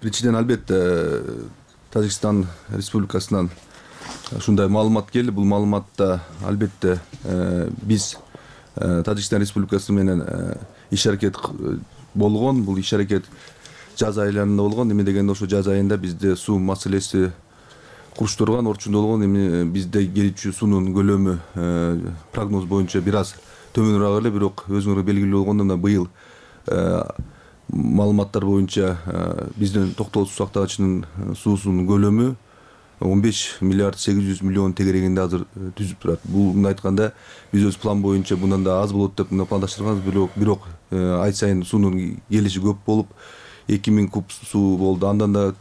Биринчиден, албетте Тажикстан Республикасынан ушундай маалымат келди. Бул маалыматта албетте биз Тажикстан Республикасы менен иш аракет болгон. Бул иш аракет жаз айларында болгон. Эме дегенде ошо жаз айында бизде суу маселеси куруштурган, орчундо болгон. Эми бизде келүүчү суунун көлөмү прогноз боюнча бир аз төмөнүрөөк эле, бирок өзүңөр белгилүү болгондон быйыл маалыматтар боюнча биздин токтогул суу сактагычынын суусунун көлөмү 15 миллиард 800 миллион тегерегинде азыр түзүп турат. Бул мындай айтканда биз өз план боюнча bundan да аз болот деп пландаштырганбыз, бирок ай сайын суунун келиши көп болуп 2000 куб суу болду. Андан да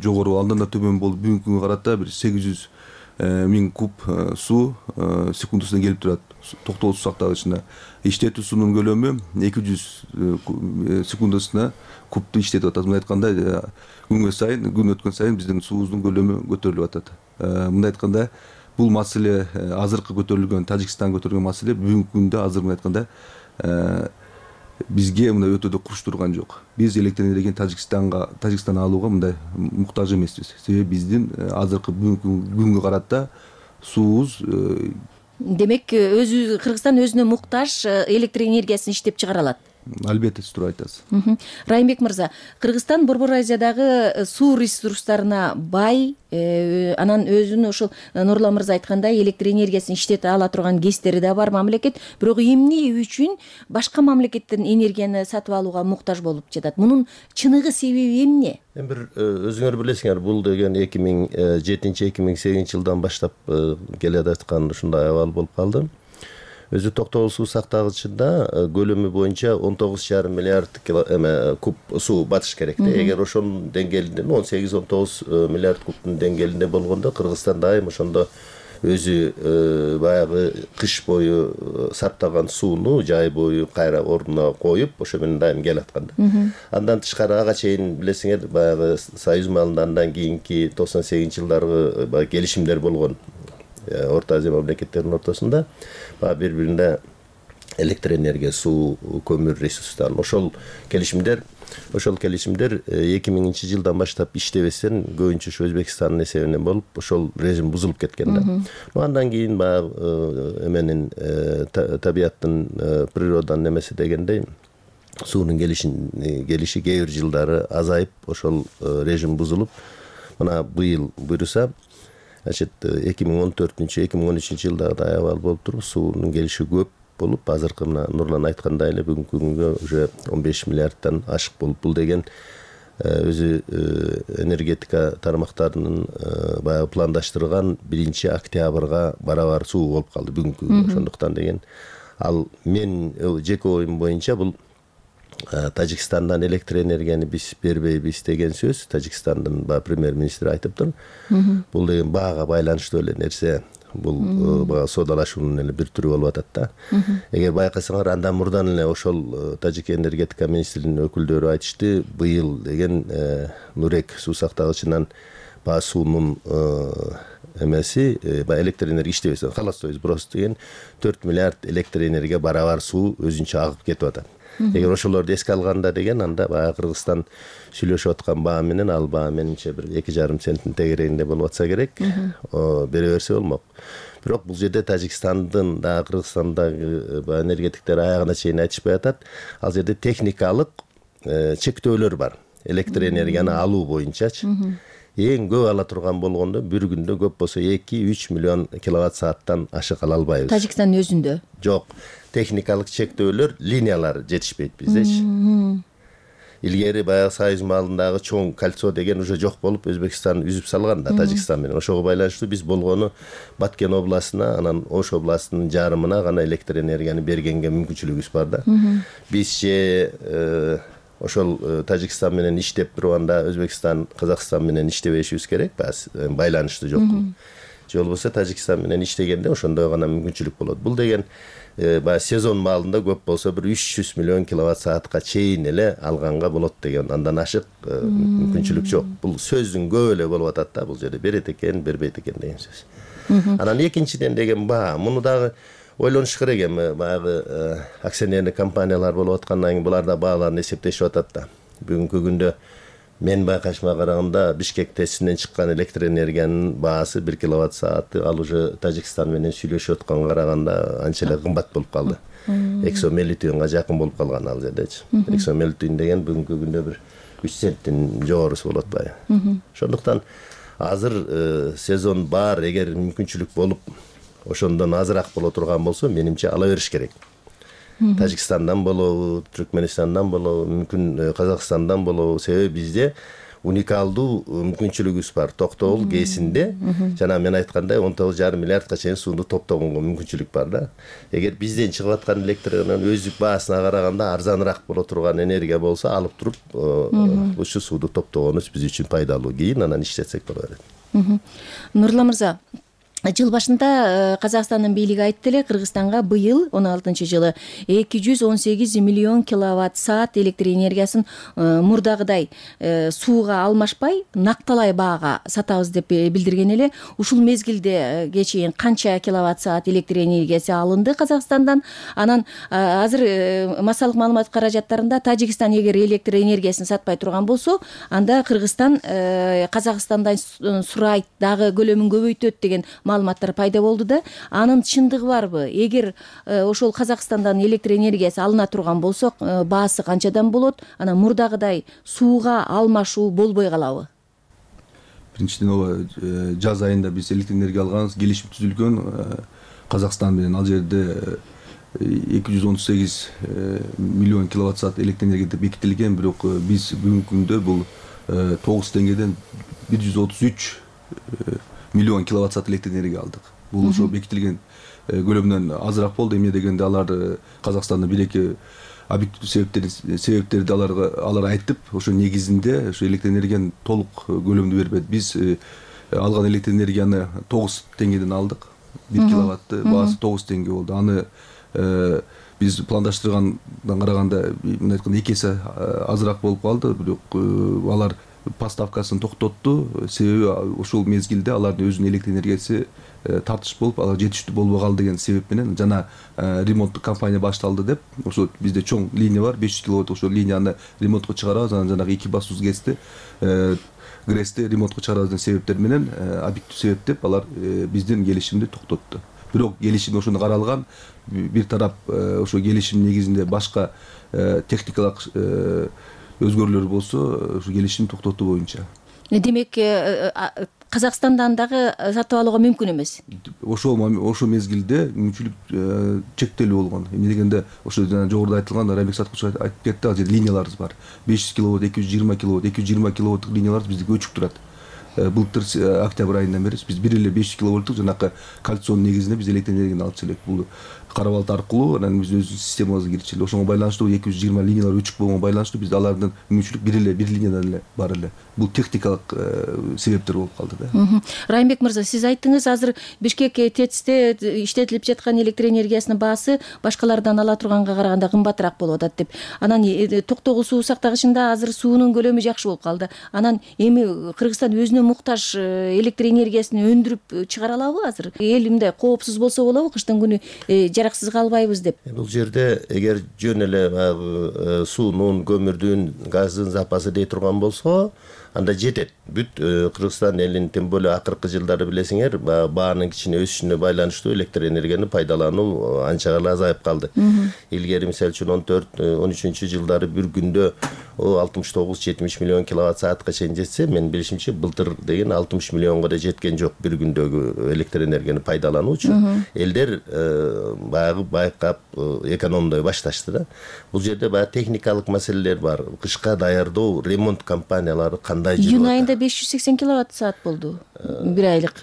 жогору, андан да төмөн болуп, бүгүнкү күнгө карата бир 800 миң куб суу секундасына келип турат. Токтогул суу сактагычына иштетүү суунун көлөмү 200 секундасына кубту иштетип атат. Мындай айтканда күнгө сайын, күн өткөн сайын биздин суубуздун көлөмү көтөрүлүп атат. Мындай айтканда бул маселе азыркы көтөрүлгөн, Тажикстан көтөргөн маселе бүгүнкү күндө азыр мындай айтканда бизге мындай өтө да куруштурган жок. Биз электр энергияны Тажикстандан алууга мындай муктаж эмеспиз. Себеби биздин азыркы бүгүнкү күнгө карата суубуз демек Кыргызстан өзүнө муктаж электр энергиясын иштеп чыгара алат. Албетте, туура айтасыз. Райымбек мырза, Кыргызстан Борбор Азиядагы суу ресурстарына бай, анан өзүнүн ушул Нурлан мырза айткандай электр энергиясын иштете ала турган кездери да бар мамлекет, бирок эмне үчүн башка мамлекеттен энергияны сатып алууга муктаж болуп жатат? Мунун чыныгы себеби эмне? Бир өзүңөр билесиңер, бул деген 2007-2008 жылдан баштап келе жаткан ушундай абал болуп калды. Өзү токтогул суу сактагычында көлөмү боюнча 19,5 миллиард куб суу батыш керек. Эгер ошонун деңгээлинде 18-19 миллиард кубтун деңгээлинде болгондо Кыргызстан дайым ошондо өзү баягы кыш бою сактаган сууну жай бою кайра ордуна коюп, ошо менен дайым келаткан. Андан тышкары ага чейин билесиңер, баягы Союз маалындан кийинки 98 жылдаргы келишимдер болгон. Орто Азия мамлекеттеринин ортосунда бири-бирине электр энергия, суу, көмүр ресурстарын ошол келишимдер 2000 жылдан баштап иштебесен көбүнчө ошо Өзбекстандын эсебинен болуп, ошол режим бузулуп кеткен. Андан кийин эменин табияттын, природанын эмеси дегендей суунун келиши кээ бир жылдары азайып, ошол режим бузулуп, мына быйыл буйруса 2014-2013 жылдагы абал болуп туруп, суунун келиши көп болуп, азыркы мына Нурлан айткандай эле бүгүнкү күнгө уже 15 миллиардтан ашык болуп, бул деген өзү энергетика тармактарынын баягы пландаштырган 1-октябрга барабар суу болуп калды бүгүнкү күнгө. Ошондуктан деген ал мен жеке оюм боюнча бул Тажикстандан электр энергияны биз бербейбиз деген сөз Тажикстандын премьер министри айтыптыр. Бул деген баага байланыштуу эле нерсе. бул баягы соодалашуунун эле бир түрү болуп атат да. Эгер байкасаңар андан мурдан эле ошол Тажик энергетика министрлигинин өкүлдөрү айтышты, быйыл деген Нурек суу сактагычынан баягы суунун эмеси баягы электр энергия иштебесе, холостой сброс деген 4 миллиард электр энергия барабар суу өзүнчө агып кетип атат. Эгер ошолорду эске алганда деген анда баягы Кыргызстан сүйлөшүп аткан баа менен ал баа менимче бир 2,5 центтин тегерегинде болуп атса керек, бере берсе болмок. Бирок бул жерде Тажикстандын дагы Кыргызстандагы энергетиктер аягына чейин айтышпай атат. Ал жерде техникалык чектөөлөр бар. Электр энергияны алуу боюнчачы. Эң көп ала турган болгондо бир күндө көп болсо 2-3 миллион киловатт сааттан ашык ала албайбыз. Тажикстандын өзүндө? Жок. Техникалык чектөөлөр, линиялар жетишпейт биздечи. Илгери баягы Союз маалындагы чоң кольцо деген уже жок болуп, Өзбекстан үзүп салган да Тажикстан менен. Ошого байланыштуу биз болгону Баткен областына, анан Ош областынын жарымына гана электр энергияны бергенге мүмкүнчүлүгүбүз бар да. Бизче ошол Тажикстан менен иштеп турганда Өзбекстан, Казакстан менен иштебешибиз керек, байланышты жокпу. Же болбосо Тажикстан менен иштегенде ошондой гана мүмкүнчүлүк болот. Бул деген баягы сезон маалында көп болсо бир 300 миллион киловатт саатка чейин эле алганга болот деген, андан ашык мүмкүнчүлүк жок. Бул сөздүн көп эле болуп атат да, бул жерде берет экен, бербейт экен деген сөз. Анан экинчиден деген баа, муну дагы ойлонуш керек эми, баягы акционерлик компаниялар болуп аткандан кийин булар да бааларын эсептешип атат да. Бүгүнкү күндө мен байкашыма караганда Бишкек тесинен чыккан электр энергиянын баасы 1 киловатт сааты ал уже Тажикстан менен сүйлөшүп атканга караганда анча эле кымбат болуп калды. Эксомелитүнга жакын болуп калган ал жердечи. Эксомелитүн деген бүгүнкү күндө бир 3 центтин жогорусу болот баягы. Ошондуктан азыр сезон бар, эгер мүмкүнчүлүк болуп ошондон азыраак боло турган болсо, менимче ала бериш керек. Тажикстандан болобу, Түркменистандан болобу, мүмкүн Казакстандан болобу, себеби бизде уникалдуу мүмкүнчүлүгүбүз бар. Токтогул ГЭСинде жана мен айткандай 19,5 миллиардка чейин сууну топтогонго мүмкүнчүлүк бар да. Эгер бизден чыгып аткан электр энергиянын өздүк баасына караганда арзаныраак боло турган энергия болсо, алып туруп ушу сууду топтогонубуз биз үчүн пайдалуу. Кийин анан иштетсек боло берет. Нурлан мырза, жыл башында Казакстандын бийлиги айтты эле, Кыргызстанга быйыл 16-жылы 218 миллион киловатт саат электр энергиясын мурдагыдай сууга алмашпай накталай баага сатабыз деп билдирген эле. Ушул мезгилде чейин канча киловатт саат электр энергиясы алынды Казакстандан? Анан азыр массалык маалымат каражаттарында Тажикстан эгер электр энергиясын сатпай турган болсо, анда Кыргызстан Казакстандан сурайт, дагы көлөмүн көбөйтөт деген маалыматтар пайда болду да. Анын чындыгы барбы? Эгер ошол Казакстандан электр энергиясы алына турган болсо, баасы канчадан болот? Анан мурдагыдай сууга алмашуу болбой калабы? Биринчиден ооба, жаз айында биз электр энергия алганбыз, келишим түзүлгөн Казакстан менен. Ал жерде 218 миллион киловатт саат электр энергия деп бекитилген, бирок биз бүгүнкү күндө бул 9 теңгеден 133 миллион киловатт саат электр энергия алдык. Бул ошо бекитилген көлөмдөн азыраак болду. Эмне дегенде алар Казакстандын бир-эки объективдүү себептерди алар айтып, ошо негизинде ошо электр энергиянын толук көлөмдү бербейт. Биз алган электр энергияны 9 теңгеден алдык. 1 киловатты баасы 9 теңге болду. Аны биз пландаштыргандан караганда, мындай айтканда, 2 эсе азыраак болуп калды. Бирок алар поставкасын токтотту. Себеби ошол мезгилде алардын өзүнүн электр энергиясы тартыш болуп, алар жетиштүү болбой калды деген себеп менен жана ремонттук кампания башталды деп, ошо бизде чоң линия бар, 500 киловатт, ошо линияны ремонтко чыгарабыз, анан жанагы 2 басуз ГЭСти ремонтко чыгарабыз деген себептер менен, объектив себеп деп алар биздин келишимди токтотту. Бирок келишим ошону каралган, бир тарап ошо келишим негизинде башка техникалык өзгөрүүлөр болсо, ошо келишим токтотуу боюнча. Демек, Казакстандан дагы сатып алууга мүмкүн эмес. Ошол мезгилде мүмкүнчүлүк чектелүү болгон. Эмне дегенде, ошо жогоруда айтылган, Райбек Саткулович айтып кетти, ал жерде линияларыбыз бар. 500 киловатт, 220 киловатт, 220 киловаттык линиялар бизде көчүп турат. былтыр октябрь айынан бери биз 1,5 киловольттук жанакы кальционун негизинде биз электр энергияны алып келек. Бул кара балык аркылуу анан биз өзүбүздүн системабызга кирчилик. Ошого байланыштуу 220 линиялар өчүк болгонго байланыштуу биз алардын мүмкүнчүлүк бир линиядан эле бар эле. Бул техникалык себептер болуп калды да. Райымбек мырза, сиз айттыңыз, азыр Бишкек ТЭЦте иштетилип жаткан электр энергиясынын баасы башкалардан ала турганга караганда кымбатыраак болуп атат деп. Анан Токтогул суу сактагычында азыр суунун көлөмү жакшы болуп калды. Анан эми Кыргызстан өзүнө муктаж электр энергиясын өндүрүп чыгара алабы азыр? Эл мындай коопсуз болсо болобу, кыштын күнү жараксыз калбайбыз деп. Бул жерде эгер жөн эле суунун, көмүрдүн, газдын запасы дей турган болсо, анда жетет. Бүт Кыргызстан элинин, тем более акыркы жылдары билесиңер, баанын кичине өсүшүнө байланыштуу электр энергияны пайдалануу анча гана азайып калды. Илгери мисалы үчүн 14-13 жылдары бир күндө 69-70 миллион киловатт саатка чейин жетсе, мен билишимче былтыр деген 60 миллионго да жеткен жок бир күндөгү электр энергияны пайдалануучу. Элдер баягы байкап экономдой башташты да. Бул жерде баягы техникалык маселелер бар. Кышка даярдоо, ремонт компаниялары кандай жүрүп Июнь айында 580 киловатт саат болду. Бир айлык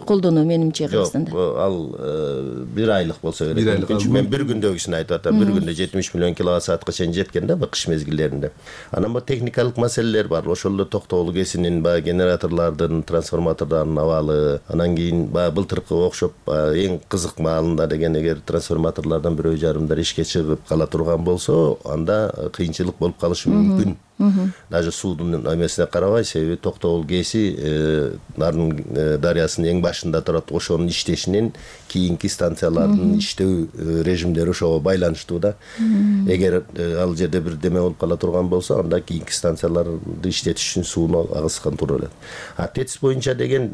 колдонуу менимче Кыргызстанда. Жок, ал бир айлык болсо керек. Мен бир күндөгүсүн айтып атам. Бир күндө 70 миллион киловатт саатка чейин жеткен да, кыш мезгилдеринде. Анан бу техникалык маселелер бар. Ошол эле Токтогул КЭСинин генераторлордун, трансформатордордун абалы, анан кийин былтыркы окшоп эң кызык маалында деген эгер трансформаторлордон бирөө жарымдар ишке чыгып кала турган болсо, анда кыйынчылык болуп калышы мүмкүн. Даже судун эмесине карабай, себеби Токтогул КЭСи дарыясынын эң башында турат. Ошонун иштешинен кийинки станциялардын иштөө режимдери ошого байланыштуу да. Эгер ал жерде бир деме болуп кала турган болсо, анда кийинки станцияларды иштетиш үчүн сууну агызган тура элет. ТЭЦ боюнча деген,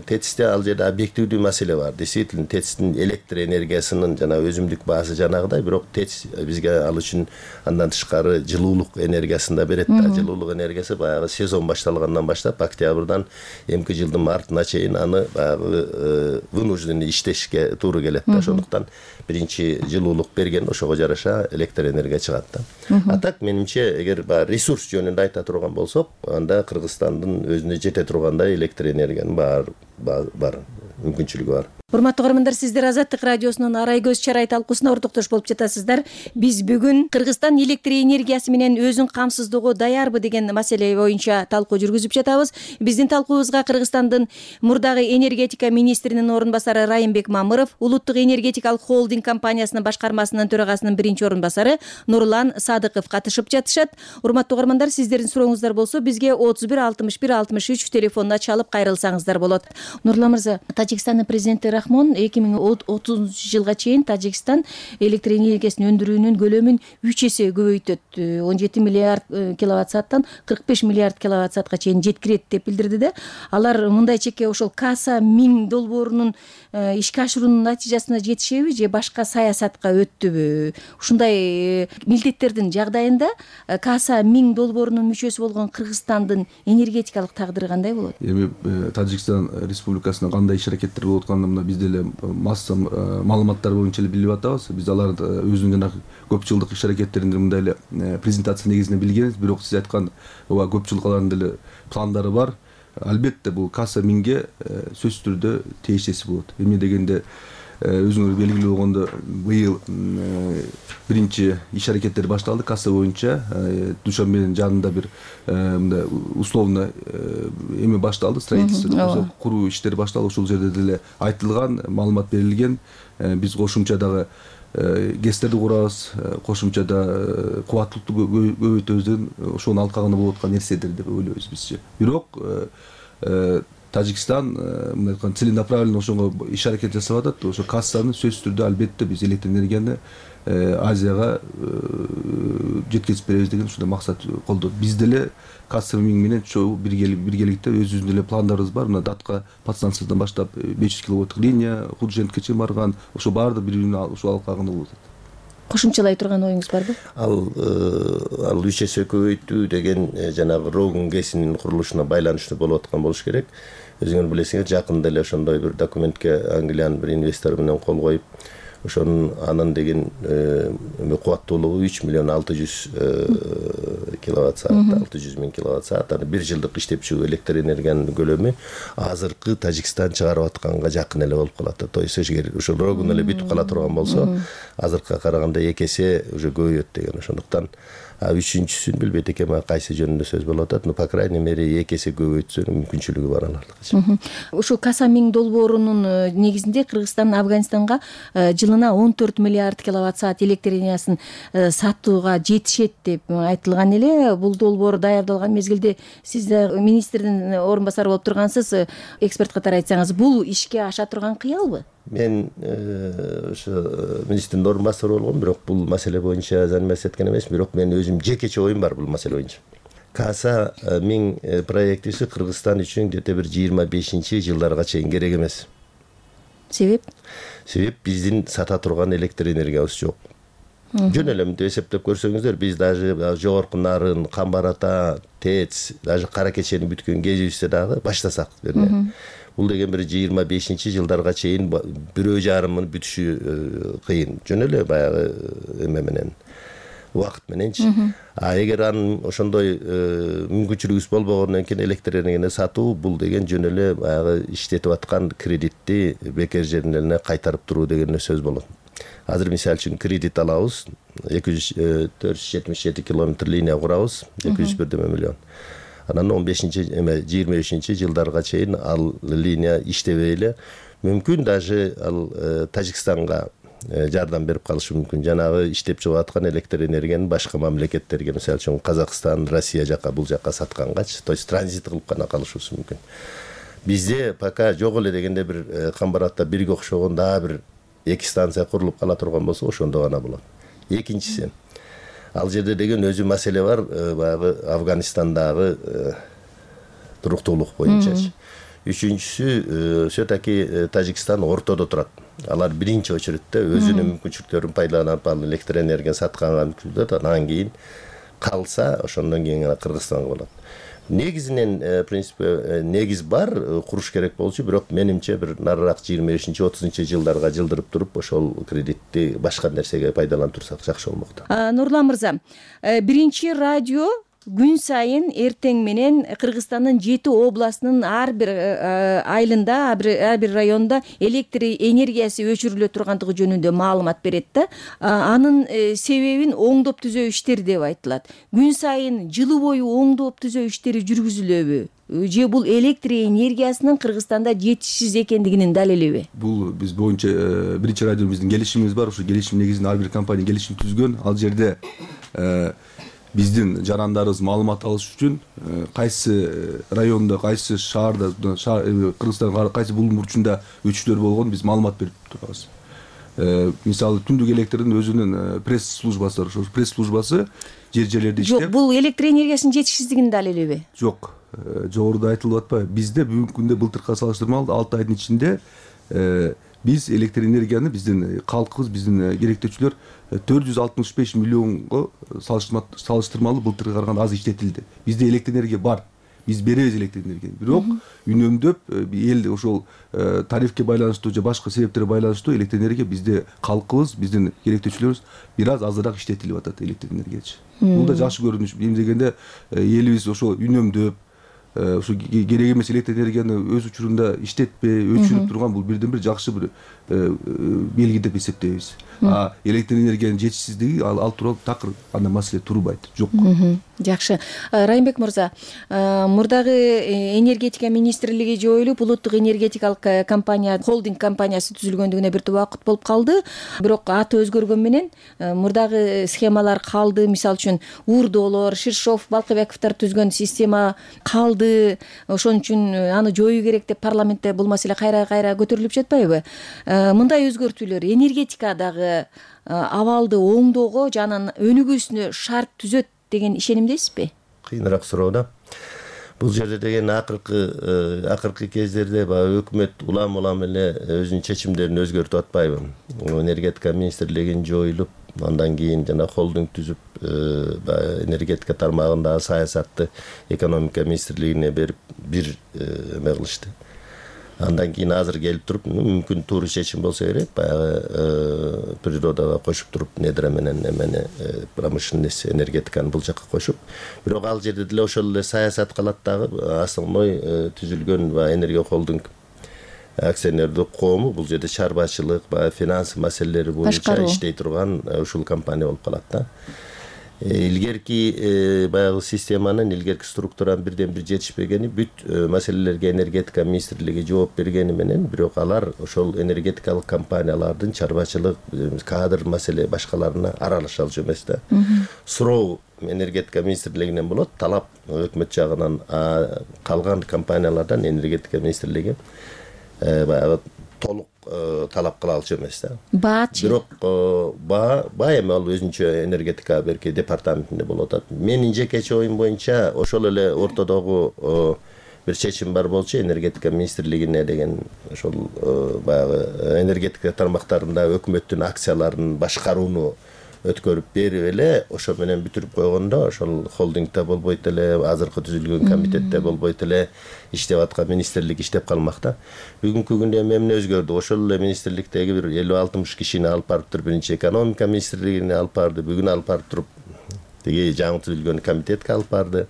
ТЭЦте ал жерде объективдүү маселе бар. Действительно, ТЭЦтин электр энергиясынын жана өзүмдүк баасы жанагыдай, бирок ТЭЦ бизге ал үчүн андан тышкары жылуулук энергиясын да берет. Жылуулук энергиясы баягы сезон башталгандан баштап октябрдан эмки жылдын мартына чейин аны баягы вынужденный иштешке туура келет да. Ошондуктан биринчи жылуулук берген, ошого жараша электр энергия чыгат да. А так менимче, эгер ресурс жөнүндө айта турган болсок, анда Кыргызстандын өзүнө жете тургандай электр энергиянын бар мүмкүнчүлүгү бар. Урматтуу көрөрмандар, сиздер Азаттык радиосунун Арай көз чарай талкуусуна ортоктош болуп жатасыздар. Биз бүгүн Кыргызстан электр энергиясы менен өзүн камсыздоого даярбы деген маселе боюнча талкуу жүргүзүп жатабыз. Биздин талкуубузга Кыргызстандын мурдагы энергетика министринин орун басары Райымбек Мамыров, Улуттук энергетикалык холдинг компаниясынын башкармасынын төрагасынын биринчи орун басары Нурлан Садыков катышып жатышат. Урматтуу көрөрмандар, сиздердин сурооңуздар болсо бизге 31 61 63 телефонуна чалып кайрылсаңыздар болот. Нурлан мырза, Тажикстандын президенти Рахмон 2030 жылга чейин Тажикстан электр энергиясын өндүрүүнүн көлөмүн 3 эсе көбөйтөт. 17 миллиард киловатт сааттан 45 миллиард киловатт саатка чейин жеткирет деп билдирди да. Алар мындай чекке ошол Каса 1000 долбоорунун ишке ашыруунун натыйжасына жетишеби же башка саясатка өттүбү? Ушундай милдеттердин жагдайында Каса 1000 долбоорунун мүчөсү болгон Кыргызстандын энергетикалык тагдыры кандай болот? Эми Тажикстан Республикасында кандай иш аракеттер болуп атканын биз деле масса маалыматтар боюнча эле билип атабыз. Биз аларды өзүнүн жанагы көп жылдык иш аракеттеринде мындай эле презентация негизинде билгенбиз. Бирок сиз айткан көп жылдык алардын деле пландары бар. Албетте бул Каса 1000ге сөзсүз түрдө тийиштеси болот. Эмне дегенде өзүңөр белгилүү болгондо быйыл биринчи иш аракеттер башталды Каса боюнча. Душанбенин жанында бир мындай условно эме башталды, строительство, куруу иштери башталды. Ошол жерде деле айтылган, маалымат берилген. Биз кошумча дагы ГЭСтерди курабыз, кошумча да кубаттуулукту көбөйтөбүз деген ошонун алкагында болуп аткан нерседер деп ойлойбуз бизче. Бирок Тажикстан мындай айтканда целенаправленно ошого иш аракет жасап атат. Ошо Кассаны сөзсүз түрдө албетте биз электр энергияны Азияга жеткизип беребиз деген ушундай максат колдойт. Биз деле Каса 1000 менен биргеликте өзүбүздүн деле пландарыбыз бар. Мына Датка подстанциясынан баштап 500 киловатттык линия, Художенкке чейин барган, ошо баардык бири-бирин ошол алкагында болот. Кошумчалай турган оюңуз барбы? Ал 3 эсе көбөйтүү деген жанагы Рогун ГЭСинин курулушуна байланыштуу болуп аткан болуш керек. Өзүңөр билесиңер, жакында эле ошондой бир документке Англиянын бир инвестору менен кол коюп, ошонун анын деген кубаттуулугу 3.600.000 киловатт саат, 600.000 киловатт саат. Аны 1 жылдык иштеп чыгуу электр энергиянын көлөмү азыркы Тажикстан чыгарып атканга жакын эле болуп калат. То есть эгер ошо рогун эле бүтүп кала турган болсо, азыркыга караганда 2 эсе уже көбөйөт деген. Ошондуктан үчүнчүсүн билбейт экенмин, кайсы жөнүндө сөз болуп атат. Но по крайней мере 2 эсе көбөйтсө мүмкүнчүлүгү бар алардыкы. Ушул Касамин долбоорунун негизинде Кыргызстан Афганистанга жылына 14 миллиард киловатт саат электр энергиясын сатууга жетишет деп айтылган эле. Бул долбоор даярдалган мезгилде сиз министрдин орун басары болуп тургансыз. Эксперт катары айтсаңыз, бул ишке аша турган кыялбы? Мен ошо министрдин орун басары болгом, бирок бул маселе боюнча заниматься эткен эмесмин, бирок мен өзүм жекече оюм бар бул маселе боюнча. Каса миң проектиси Кыргызстан үчүн где-то бир 25-жылдарга чейин керек эмес. Себеп? Себеп биздин сата турган электр энергиябыз жок. Жөн эле мынтип эсептеп көрсөңүздөр, биз даже жогорку Нарын, Камбар-Ата, ТЭЦ, даже Кара Кечени бүткөн кезибизде дагы баштасак, бул деген бир 25-жылдарга чейин 1,5 миң бүтүшү кыйын. Жөн эле баягы эме менен, убакыт мененчи. Эгер анын ошондой мүмкүнчүлүгүбүз болбогондон кийин электр энергияны сатуу, бул деген жөн эле баягы иштетип аткан кредитти бекер жерине кайтарып туруу деген сөз болот. Азыр мисалы үчүн кредит алабыз, 477 километр линия курабыз, 201 миллион. Анан 15-23-жылдарга чейин ал линия иштебей эле, мүмкүн даже ал Тажикстанга жардам берип калышы мүмкүн. Жанагы иштеп чыгып аткан электр энергияны башка мамлекеттерге, мисалы үчүн Казакстан, Россия жака, бул жака саткангачы, то есть транзит кылып гана калышыбыз мүмкүн. Бизде пока жок эле дегенде бир Камбар-Атта бирге окшогон дагы бир 2 станция курулуп кала турган болсо, ошондо гана болот. Экинчиси, ал жерде деген өзү маселе бар, баягы Афганистандагы туруктуулук боюнчачы. Үчүнчүсү, все-таки Тажикстан ортодо турат. Алар биринчи очередте өзүнүн мүмкүнчүлүктөрүн пайдаланып, ал электр энергияны сатканга мүмкүнчүлүк, анан кийин калса, ошондон кийин Кыргызстанга болот. Негизинен принципе негиз бар, куруш керек болчу, бирок менимче бир нарыраак 25-30-жылдарга жылдырып туруп, ошол кредитти башка нерсеге пайдаланып турсак жакшы болмок. Нурлан мырза, биринчи радио күн сайын эртең менен Кыргызстандын 7 областынын ар бир айылында, ар бир районунда электр энергиясы өчүрүлө тургандыгы жөнүндө маалымат берет да. Анын себебин оңдоп түзөө иштери деп айтылат. Күн сайын жылы бою оңдоп түзөө иштери жүргүзүлөбү? Же бул электр энергиясынын Кыргызстанда жетишсиз экендигинин далилиби? Бул биз боюнча биринчи радиобуздун келишимибиз бар. Ошо келишим негизинде ар бир компания келишим түзгөн. Ал жерде биздин жарандарыбыз маалымат алыш үчүн кайсы райондо, кайсы шаарда, Кыргызстандын кайсы булуң бурчунда өчүрлөр болгон биз маалымат берип турабыз. Мисалы түндүк электрдин өзүнүн пресс-службасы бар. Ошол пресс-службасы жерлерде иштеп. Жок, бул электр энергиясынын жетишсиздигинин далилиби? Жок. Жогоруда айтылып атпайбы? Бизде бүгүнкү күндө былтыркыга салыштырмалуу 6 айдын ичинде биз электр энергияны биздин калкыбыз, биздин керектөөчүлөр 465 миллионго салыштырмалуу былтыркыга караганда аз иштетилди. Бизде электр энергия бар. Биз беребиз электр энергияны. Бирок үнөмдөп эл ошол тарифке байланыштуу же башка себептерге байланыштуу электр энергия бизде калкыбыз, биздин керектөөчүлөрүбүз бир аз азыраак иштетилип атат электр энергиячы. Бул да жакшы көрүнүш. Эми дегенде элибиз ошо үнөмдөп ошо керек эмес электр энергияны өз учурунда иштетпей, өчүрүп турган бул бирден бир жакшы бир белги деп эсептейбиз. Электр энергиянын жетишсиздиги ал тууралуу такыр андай маселе турбайт, жок. Жакшы. Райымбек мырза, мурдагы энергетика министрлиги жоюлуп, улуттук энергетикалык компания, холдинг компаниясы түзүлгөндүгүнө бир убакыт болуп калды. Бирок аты өзгөргөн менен мурдагы схемалар калды. Мисалы үчүн Урдолор, Ширшов, Балкыбековдор түзгөн система калды. Ошон үчүн аны жоюу керек деп парламентте бул маселе кайра көтөрүлүп жатпайбы? Мындай өзгөртүүлөр энергетикадагы абалды оңдоого жана өнүгүүсүнө шарт түзөт деген ишенимдесизби? Кыйыныраак суроо да. Бул жерде деген акыркы кездерде өкмөт улам эле өзүнүн чечимдерин өзгөртүп атпайбы? Энергетика министрлигин жоюлуп, андан кийин жана холдинг түзүп, энергетика тармагындагы саясатты экономика министрлигине берип бир эме кылышты. Андан кийин азыр келип туруп мүмкүн туура чечим болсо керек, баягы природага кошуп туруп недра менен эмени промышленность энергетиканы бул жака кошуп, бирок ал жерде деле ошол эле саясат калат дагы. Основной түзүлгөн энергия холдинг акционердик коому бул жерде чарбачылык, баягы финанс маселелери боюнча иштей турган ушул компания болуп калат да. Илгерки баягы системанын, илгерки структуранын бирден бир жетишпегени, бүт маселелерге энергетика министрлиги жооп бергени менен, бирок алар ошол энергетикалык компаниялардын чарбачылык, кадр маселе башкаларына аралаша алчу эмес да. Суроо энергетика министрлигинен болот, талап өкмөт жагынан калган компаниялардан энергетика министрлиги баягы толук талап кыла алчу эмес да. Баачы. Бирок баа эми ал өзүнчө энергетика берки департаментинде болуп атат. Менин жекече оюм боюнча ошол эле ортодогу бир чечим бар болчу, энергетика министрлигине деген ошол баягы энергетика тармактарында өкмөттүн акцияларын башкарууну өткөрүп берип эле ошо менен бүтүрүп койгондо, ошол холдингде болбойт эле, азыркы түзүлгөн комитетте болбойт эле, иштеп аткан министрлик иштеп калмак да. Бүгүнкү күндө эмне өзгөрдү? Ошол эле министрликтеги бир 50-60 кишини алып барып туруп биринчи экономика министрлигине алып барды, бүгүн алып барып туруп тиги жаңы түзүлгөн комитетке алып барды.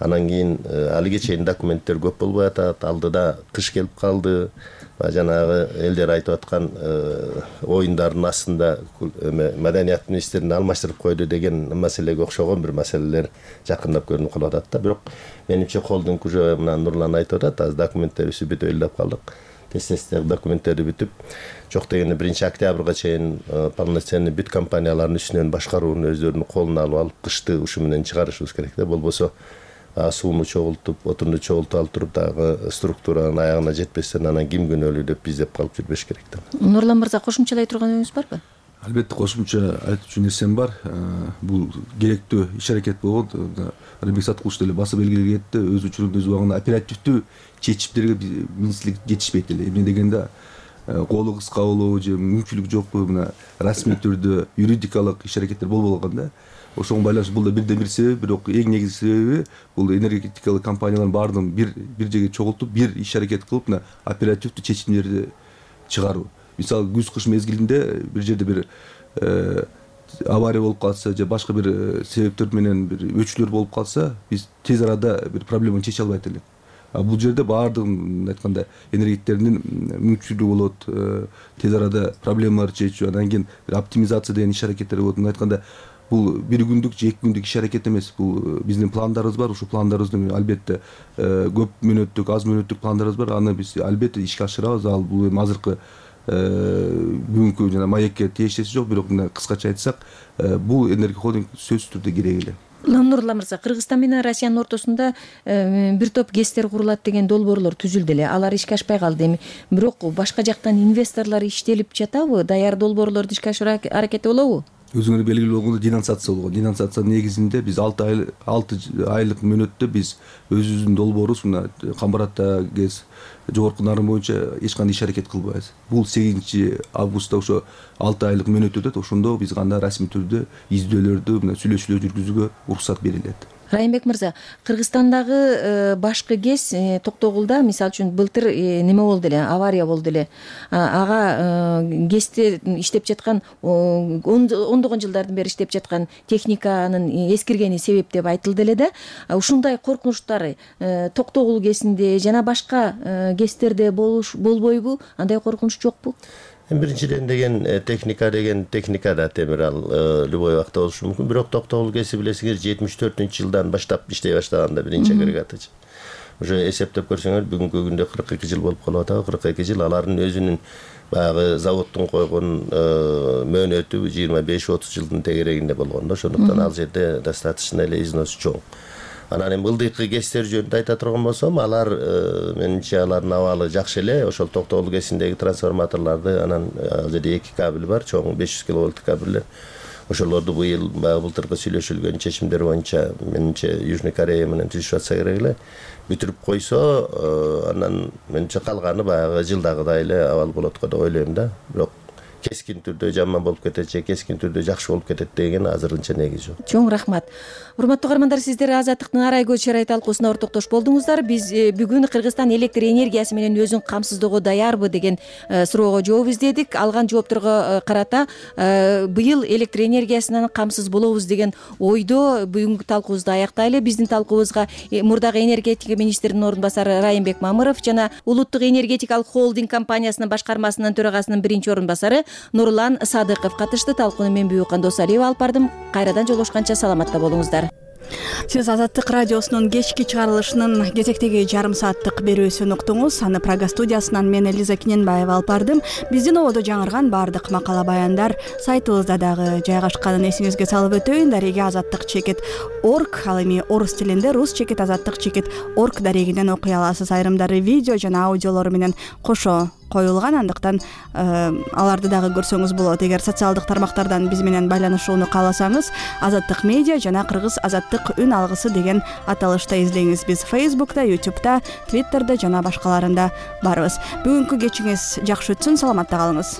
Анан кийин алиге чейин документтер көп болбой атат, алдыда кыш келип калды. Жанагы элдер айтып аткан оюндардын астында маданият министрин алмаштырып койду деген маселеге окшогон бир маселелер жакындап көрүнүп калып атат да. Бирок менимче холдинг уже мына Нурлан айтып атат, азыр документтерибизди бүтүп элдеп калдык. Тез документтерди бүтүп, жок дегенде 1-октябрга чейин полноценный бүт компаниялардын үстүнөн башкарууну өздөрүнүн колуна алып кышты ушу менен чыгарышыбыз керек да. Болбосо сууну чогултуп, отунду чогултуп алып туруп дагы структуранын аягына жетпестен анан ким күнөөлүү деп биздеп калып жүрбөш керек да. Нурлан мырза, кошумчалай турганыңыз барбы? Албетте кошумча айтчу нерсем бар. Бул керектүү иш-аракет болгон. Рыбек Саткулович деле басып белгилеген кетти. Өз учурунда өз убагында оперативдүү чечимдерге министрлик жетишпейт эле. Эмне дегенде колу кыска болобу же мүмкүнчүлүк жокпу, мына расмий түрдө юридикалык иш-аракеттер болбой калган да. Ошого байланыштуу бул да бирден бир себеп, бирок эң негизги себеби бул энергетикалык компаниялардын баардыгын бир жерге чогултуп, бир иш-аракет кылып, мына оперативдүү чечимдерди чыгаруу. Мисалы, күз-кыш мезгилинде бир жерде бир авария болуп калса же башка бир себептер менен бир өчүүлөр болуп калса, биз тез арада бир проблеманы чече албайт элек. Бул жерде баардыгын айтканда энергетиктердин мүмкүнчүлүгү болот, тез арада проблемаларды чечүү, анан кийин оптимизация деген иш-аракеттер болот. Айтканда бул бир күндүк же 2 күндүк иш-аракет эмес. Бул биздин пландарыбыз бар. Ушул пландарыбызды албетте көп мүнөттүк, аз мүнөттүк пландарыбыз бар. Аны биз албетте ишке ашырабыз. Ал бул эми азыркы бүгүнкү жана маекке тиешеси жок, бирок мына кыскача айтсак, бул энергия холдинг сөзсүз түрдө керек эле. Нурлан мырза, Кыргызстан менен Россиянын ортосунда бир топ ГЭСтер курулат деген долбоорлор түзүлдү эле. Алар ишке ашпай калды эми. Бирок башка жактан инвесторлор иштелип жатабы? Даяр долбоорлорду ишке ашыруу аракети болобу? Өзүңөр белгилүү болгондой денонсация болгон. Денонсациянын негизинде биз 6 айлык мөөнөттө биз өзүбүздүн долбоорубуз мына Камбаратта ГЭС жогорку нарым боюнча эч кандай иш-аракет кылбайбыз. Бул 8-августта ошо 6 айлык мөөнөт өтөт. Ошондо биз гана расмий түрдө издөөлөрдү, мына сүйлөшүүлөр жүргүзүүгө уруксат берилет. Райымбек мырза, Кыргызстандагы башкы ГЭС Токтогулда, мисалы үчүн, былтыр неме болду эле, авария болду эле. Ага ГЭСте иштеп жаткан, ондогон жылдардан бери иштеп жаткан техниканын эскиргени себеп деп айтылды эле да. Ушундай коркунучтар Токтогул ГЭСинде жана башка ГЭСтерде болбойбу? Андай коркунуч жокпу? Биринчиден деген техника да темир, ал любой убакта болушу мүмкүн. Бирок Токтогул ГЭСи билесиңер 74-жылдан баштап иштей баштаганда биринчи агрегатычы. Уже эсептеп көрсөңөр бүгүнкү күндө 42 жыл болуп калып атат. 42 жыл алардын өзүнүн баягы заводдун койгон мөөнөтү 25-30 жылдын тегерегинде болгон да. Ошондуктан ал жерде достаточно эле износ чоң. Анан эми ылдыйкы ГЭСтер жөнүндө айта турган болсом, алар менимче алардын абалы жакшы эле. Ошол Токтогул ГЭСиндеги трансформаторлорду, анан ал жерде 2 кабель бар, чоң 500 киловольттук кабелдер. Ошолорду быйыл былтыркы сүйлөшүлгөн чечимдер боюнча менимче Южный Корея менен түзүшүп атса керек эле. Бүтүрүп койсо, анан менимче калганы баягы жылдагыдай эле абал болот го деп ойлойм да. Бирок кескин түрдө жаман болуп кетет же кескин түрдө жакшы болуп кетет деген азырынча негиз жок. Чоң рахмат. Урматтуу каармандар, сиздер Азаттыктын Арай көз чырай талкуусуна ортоктош болдуңуздар. Биз бүгүн Кыргызстан электр энергиясы менен өзүн камсыздоого даярбы деген суроого жооп издедик. Алган жоопторго карата быйыл электр энергиясынан камсыз болобуз деген ойдо бүгүнкү талкуубузду аяктайлы. Биздин талкуубузга мурдагы энергетика министринин орун басары Райымбек Мамыров жана Улуттук энергетикалык холдинг компаниясынын башкармасынын төрагасынын биринчи орун басары Нурлан Садыков катышты. Талкууну мен Бүйүкан Досалиева алып бардым. Кайрадан жолугушканча саламатта болуңуздар. Сиз Азаттык радиосунун кечки чыгарылышынын кезектеги жарым сааттык берүүсүн уктуңуз. Аны Прага студиясынан мен Элиза Киненбаева алып бардым. Биздин ободо жаңырган баардык макала баяндар сайтыбызда дагы жайгашканын эсиңизге салып өтөйүн. Дареги azattik.org, ал эми орус тилинде rus-azattik.org дарегинен окуй аласыз. Айрымдары видео жана аудиолору менен кошо коюлган, андыктан аларды дагы көрсөңүз болот. Эгер социалдык тармактардан биз менен байланышууну кааласаңыз, Азаттык медиа жана Кыргыз Азаттык үн алгысы деген аталышта издеңиз. Биз Facebook'та, YouTube'да, Twitter'да жана башкаларында барбыз. Бүгүнкү кечиңиз жакшы өтсүн, саламатта калыңыз.